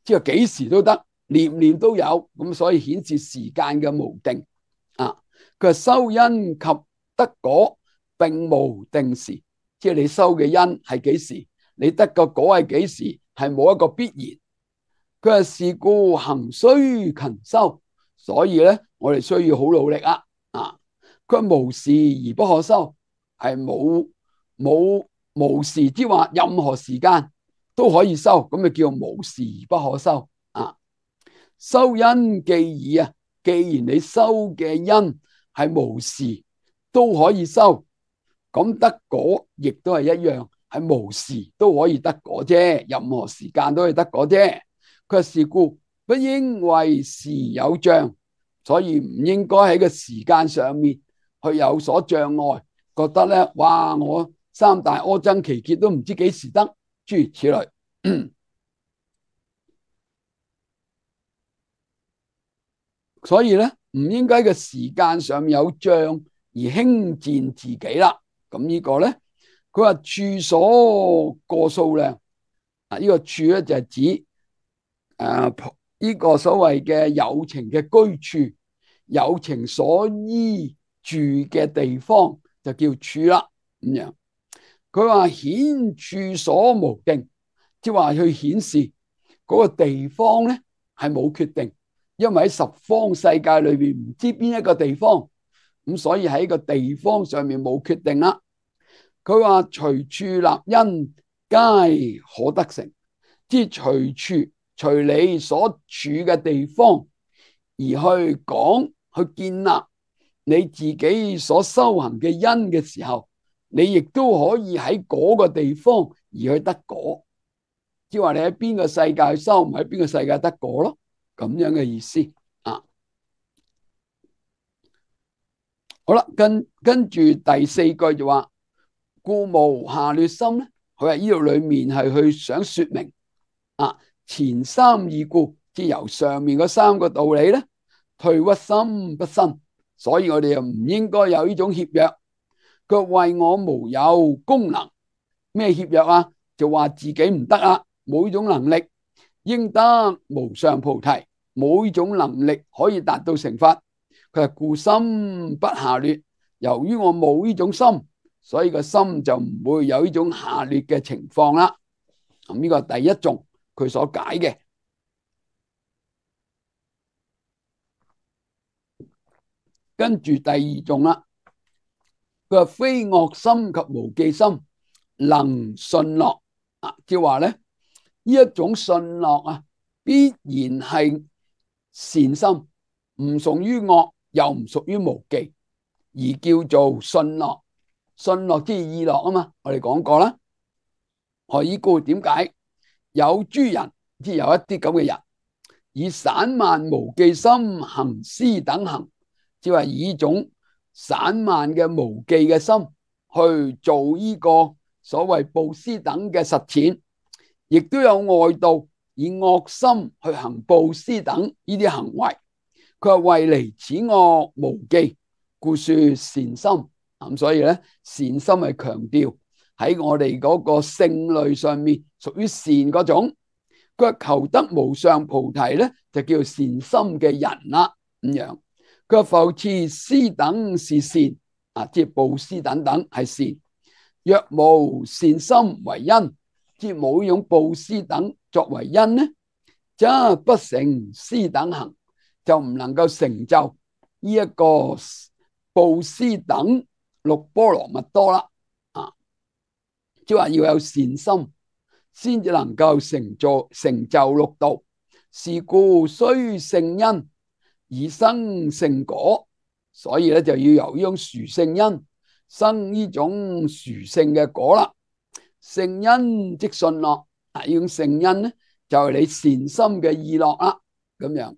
即係幾時都得，念念都有，咁所以顯示時間嘅無定啊。佢話修因及得果並無定時，即係你修嘅因係幾時，你得個果係幾時，係冇一個必然。佢話是故行須勤修，所以咧我哋需要好努力啊。啊，佢話無時而不可修，係冇冇無時之話，任何時間都可以修，咁就叫無時而不可修啊。修因既爾啊，既然你修嘅因係無時都可以修，咁得果亦都係一樣，係無時都可以得果啫，任何時間都可以得果啫。佢話是故不應為時有障，所以唔應該喺個時間上面去有所障礙，覺得咧，哇，我三大阿僧祇劫都唔知幾時得，諸如此類。所以咧，唔應該嘅時間上面有障而輕賤自己啦。咁呢個咧，佢話處所過數量啊，呢個處咧就係指誒呢個所謂嘅有情嘅居處，有情所依住嘅地方就叫處啦。咁樣，佢話顯處所無定，即係話去顯示嗰個地方咧係冇決定。因為喺十方世界裏邊唔知邊一個地方，咁所以喺個地方上面冇決定啦。佢話隨處立因皆可得成，即係隨處隨你所處嘅地方而去講去建立你自己所修行嘅因嘅時候，你亦都可以喺嗰個地方而去得果。即係話你喺邊個世界去修，唔喺邊個世界得果咯。咁樣嘅意思啊。好啦，跟跟住第四句就話，故無下劣心咧。佢喺呢度裏面係去想說明啊，前三義故，即係由上面嗰三個道理咧，退屈心不生，所以我哋又唔應該有呢種怯弱。佢為我無有功能，咩怯弱啊？就話自己唔得啊，冇呢種能力，應得無上菩提，冇呢種能力可以達到成佛。佢係故心不下劣，由於我冇呢種心，所以個心就唔會有呢種下劣嘅情況啦。咁呢個係第一種佢所解嘅。跟住第二種啦，佢話非惡心及無記心能順樂啊，即係話咧，呢一種順樂啊，必然係善心，唔屬於惡，又唔屬於無記，而叫做順樂。順樂即係意樂啊嘛，我哋講過啦。何以故？點解有諸人，即係有一啲咁嘅人，以散漫無記心行施等行，即係話以一種散漫嘅無記嘅心去做呢個所謂布施等嘅實踐，亦都有外道以惡心去行布施等呢啲行為。佢話為離此惡無記，故說善心。咁所以咧，善心係強調喺我哋嗰個性類上面屬於善嗰種。佢話求得無上菩提咧，就叫善心嘅人啦。咁樣，佢話復次施等是善啊，即係布施等等係善。若無善心為因，即係冇呢種布施等作為因呢，則不成施等行，就唔能夠成就呢一個布施等六波羅蜜多啦。啊，即係話要有善心，先至能夠成就成就六道。是故須聖因而生聖果，所以咧就要由呢種殊聖因生呢種殊聖嘅果啦。聖因即順樂啊，呢種聖因咧就係你善心嘅意樂啦。咁樣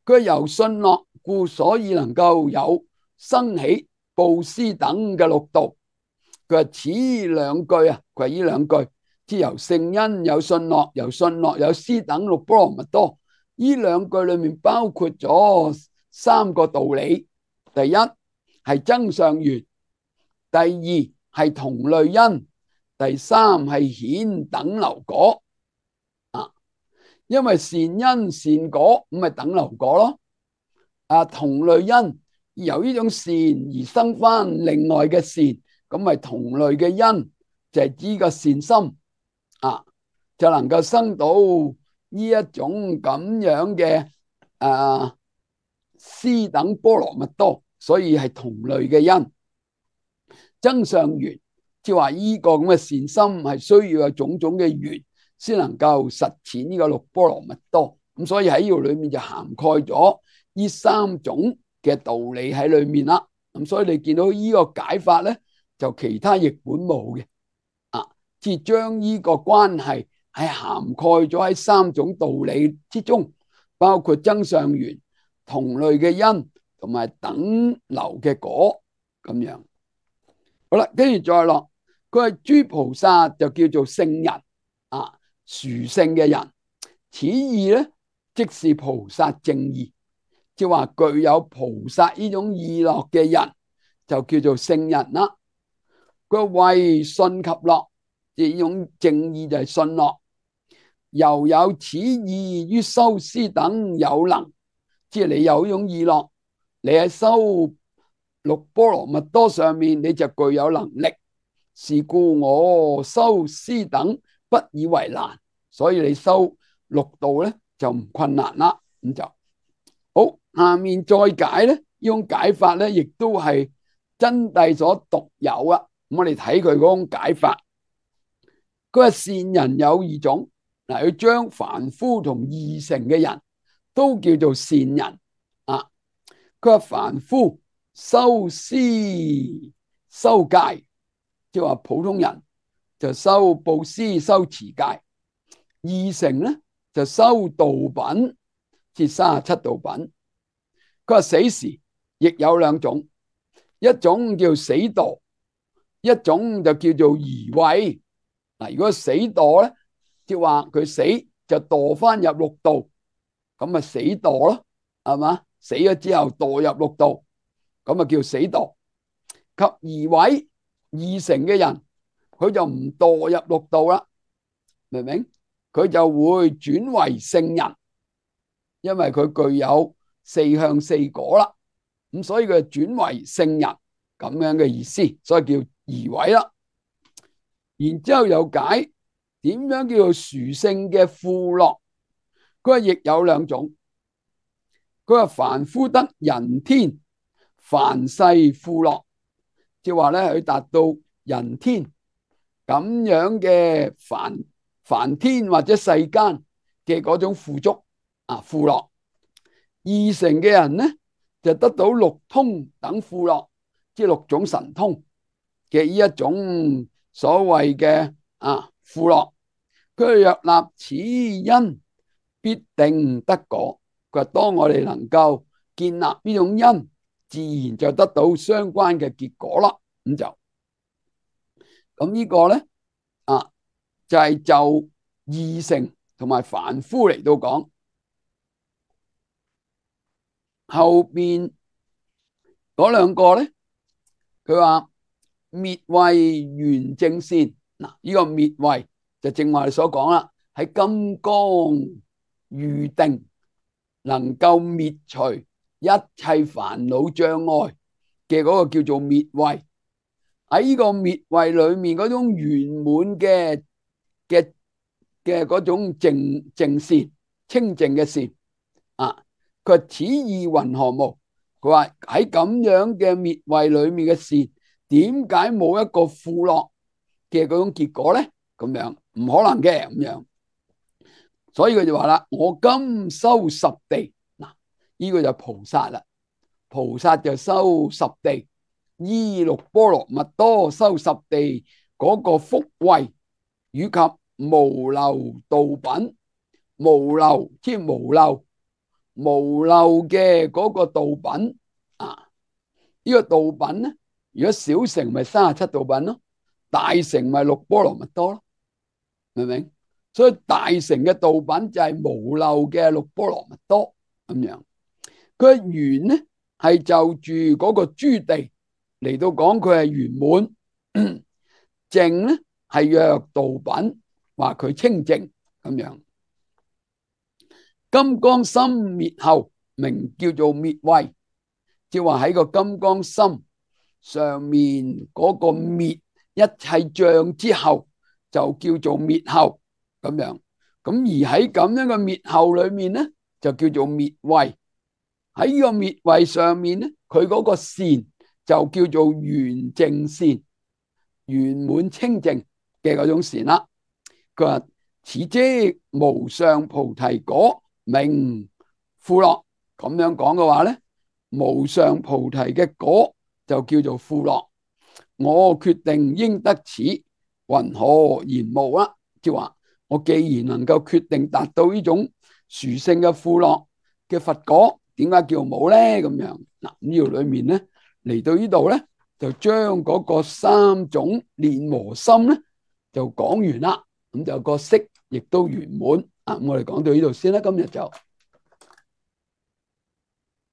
佢由順樂故，所以能夠有生起布施等嘅六道。佢話此兩句啊，佢話呢兩句，即由聖因有順樂，由順樂有施等六波羅蜜多。呢兩句裏面包括咗三個道理：第一係增上緣，第二係同類因，第三係顯等流果。啊，因為善因善果咁咪等流果咯。啊，同類因由呢種善而生翻另外嘅善，咁咪同類嘅因就係指個善心啊，就能夠生到呢一種咁樣嘅啊施等波羅蜜多。所以係同類嘅因。增上緣，即係話呢個咁嘅善心係需要有種種嘅緣先能夠實踐呢個六波羅蜜多。咁所以喺呢度裏面就涵蓋咗呢三種嘅道理喺裏面啦。咁所以你見到呢個解法咧，就其他譯本冇嘅啊，即係將呢個關係係涵蓋咗喺三種道理之中，包括增上緣、同類嘅因同埋等流嘅果咁樣。好啦，跟住再落，佢係諸菩薩就叫做聖人啊，殊勝嘅人。此意咧，即是菩薩正意，即係話具有菩薩呢種意樂嘅人，就叫做聖人啦。佢為信及樂，即係呢種正意就係信樂，又有此意於修施等有能，即係你有呢種意樂，你喺修六波羅蜜多上面你就具有能力，是故我修施等不以為難，所以你修六道咧就唔困難啦。咁就好，下面再解咧，呢種解法咧亦都係真諦所獨有啊。咁我哋睇佢嗰種解法，佢話善人有二種，嗱，佢將凡夫同二乘嘅人都叫做善人啊。佢話凡夫修施修戒，即係話普通人就修布施修持戒，二乘咧就修道品，即三十七道品。佢話死時亦有兩種，一種叫死墮，一種就叫做移位。嗱，如果死墮咧，即係話佢死就墮翻入六道，咁咪死墮咯，係嘛？死咗之後墮入六道，咁啊叫死墮。及移位二乘嘅人，佢就唔墮入六道啦，明唔明？佢就會轉為聖人，因為佢具有四向四果啦，咁所以佢轉為聖人咁樣嘅意思，所以叫移位啦。然之後又解點樣叫做殊勝嘅富樂，佢話亦有兩種。佢話凡夫得人天凡世富樂，即係話咧佢達到人天咁樣嘅凡凡天或者世間嘅嗰種富足啊富樂。二乘嘅人咧就得到六通等富樂，即係六種神通嘅呢一種所謂嘅啊富樂。佢若立此因，必定得果。佢話當我哋能夠建立呢種因，自然就得到相關嘅結果啦。咁就咁呢個咧啊，就係、是、就二乘同埋凡夫嚟到講。後邊嗰兩個咧，佢話滅位圓正善。嗱，呢個滅位就正話你所講啦，喺金剛喻定能夠滅除一切煩惱障礙嘅嗰個叫做滅位。喺呢個滅位裏面嗰種圓滿嘅嘅嘅嗰種淨淨善清淨嘅善啊，佢話此意云何無？佢話喺咁樣嘅滅位裏面嘅善，點解冇一個富樂嘅嗰種結果咧？咁樣唔可能嘅咁樣，所以佢就話啦：我今修十地，嗱，呢個就菩薩啦。菩薩就修十地，依六波羅蜜多修十地嗰個福慧，以及無漏道品。無漏即係無漏無漏嘅嗰個道品啊，呢個道品咧，如果小乘咪三十七道品咯，大乘咪六波羅蜜多咯，明唔明？所以大乘嘅道品就係無漏嘅六波羅蜜多咁樣。佢嘅圓咧係就住嗰個諸地嚟到講，佢係圓滿。淨咧係若道品，話佢清淨咁樣。金剛心滅後，名叫做滅位，即係話喺個金剛心上面嗰個滅一切障之後，就叫做滅後咁樣。咁而喺咁樣嘅滅後裏面咧，就叫做滅位。喺呢個滅位上面咧，佢嗰個善就叫做圓淨善，圓滿清淨嘅嗰種善啦。佢話此即無上菩提果，名富樂。咁樣講嘅話咧，無上菩提嘅果就叫做富樂。我決定應得此，云何言無啦？即係話我既然能夠決定達到呢種殊勝嘅富樂嘅佛果，點解叫冇咧？咁樣嗱，呢度裏面咧嚟到呢度咧，就將嗰個三種煉和心咧就講完啦。咁就個色亦都圓滿啊！我哋講到呢度先啦，今日就。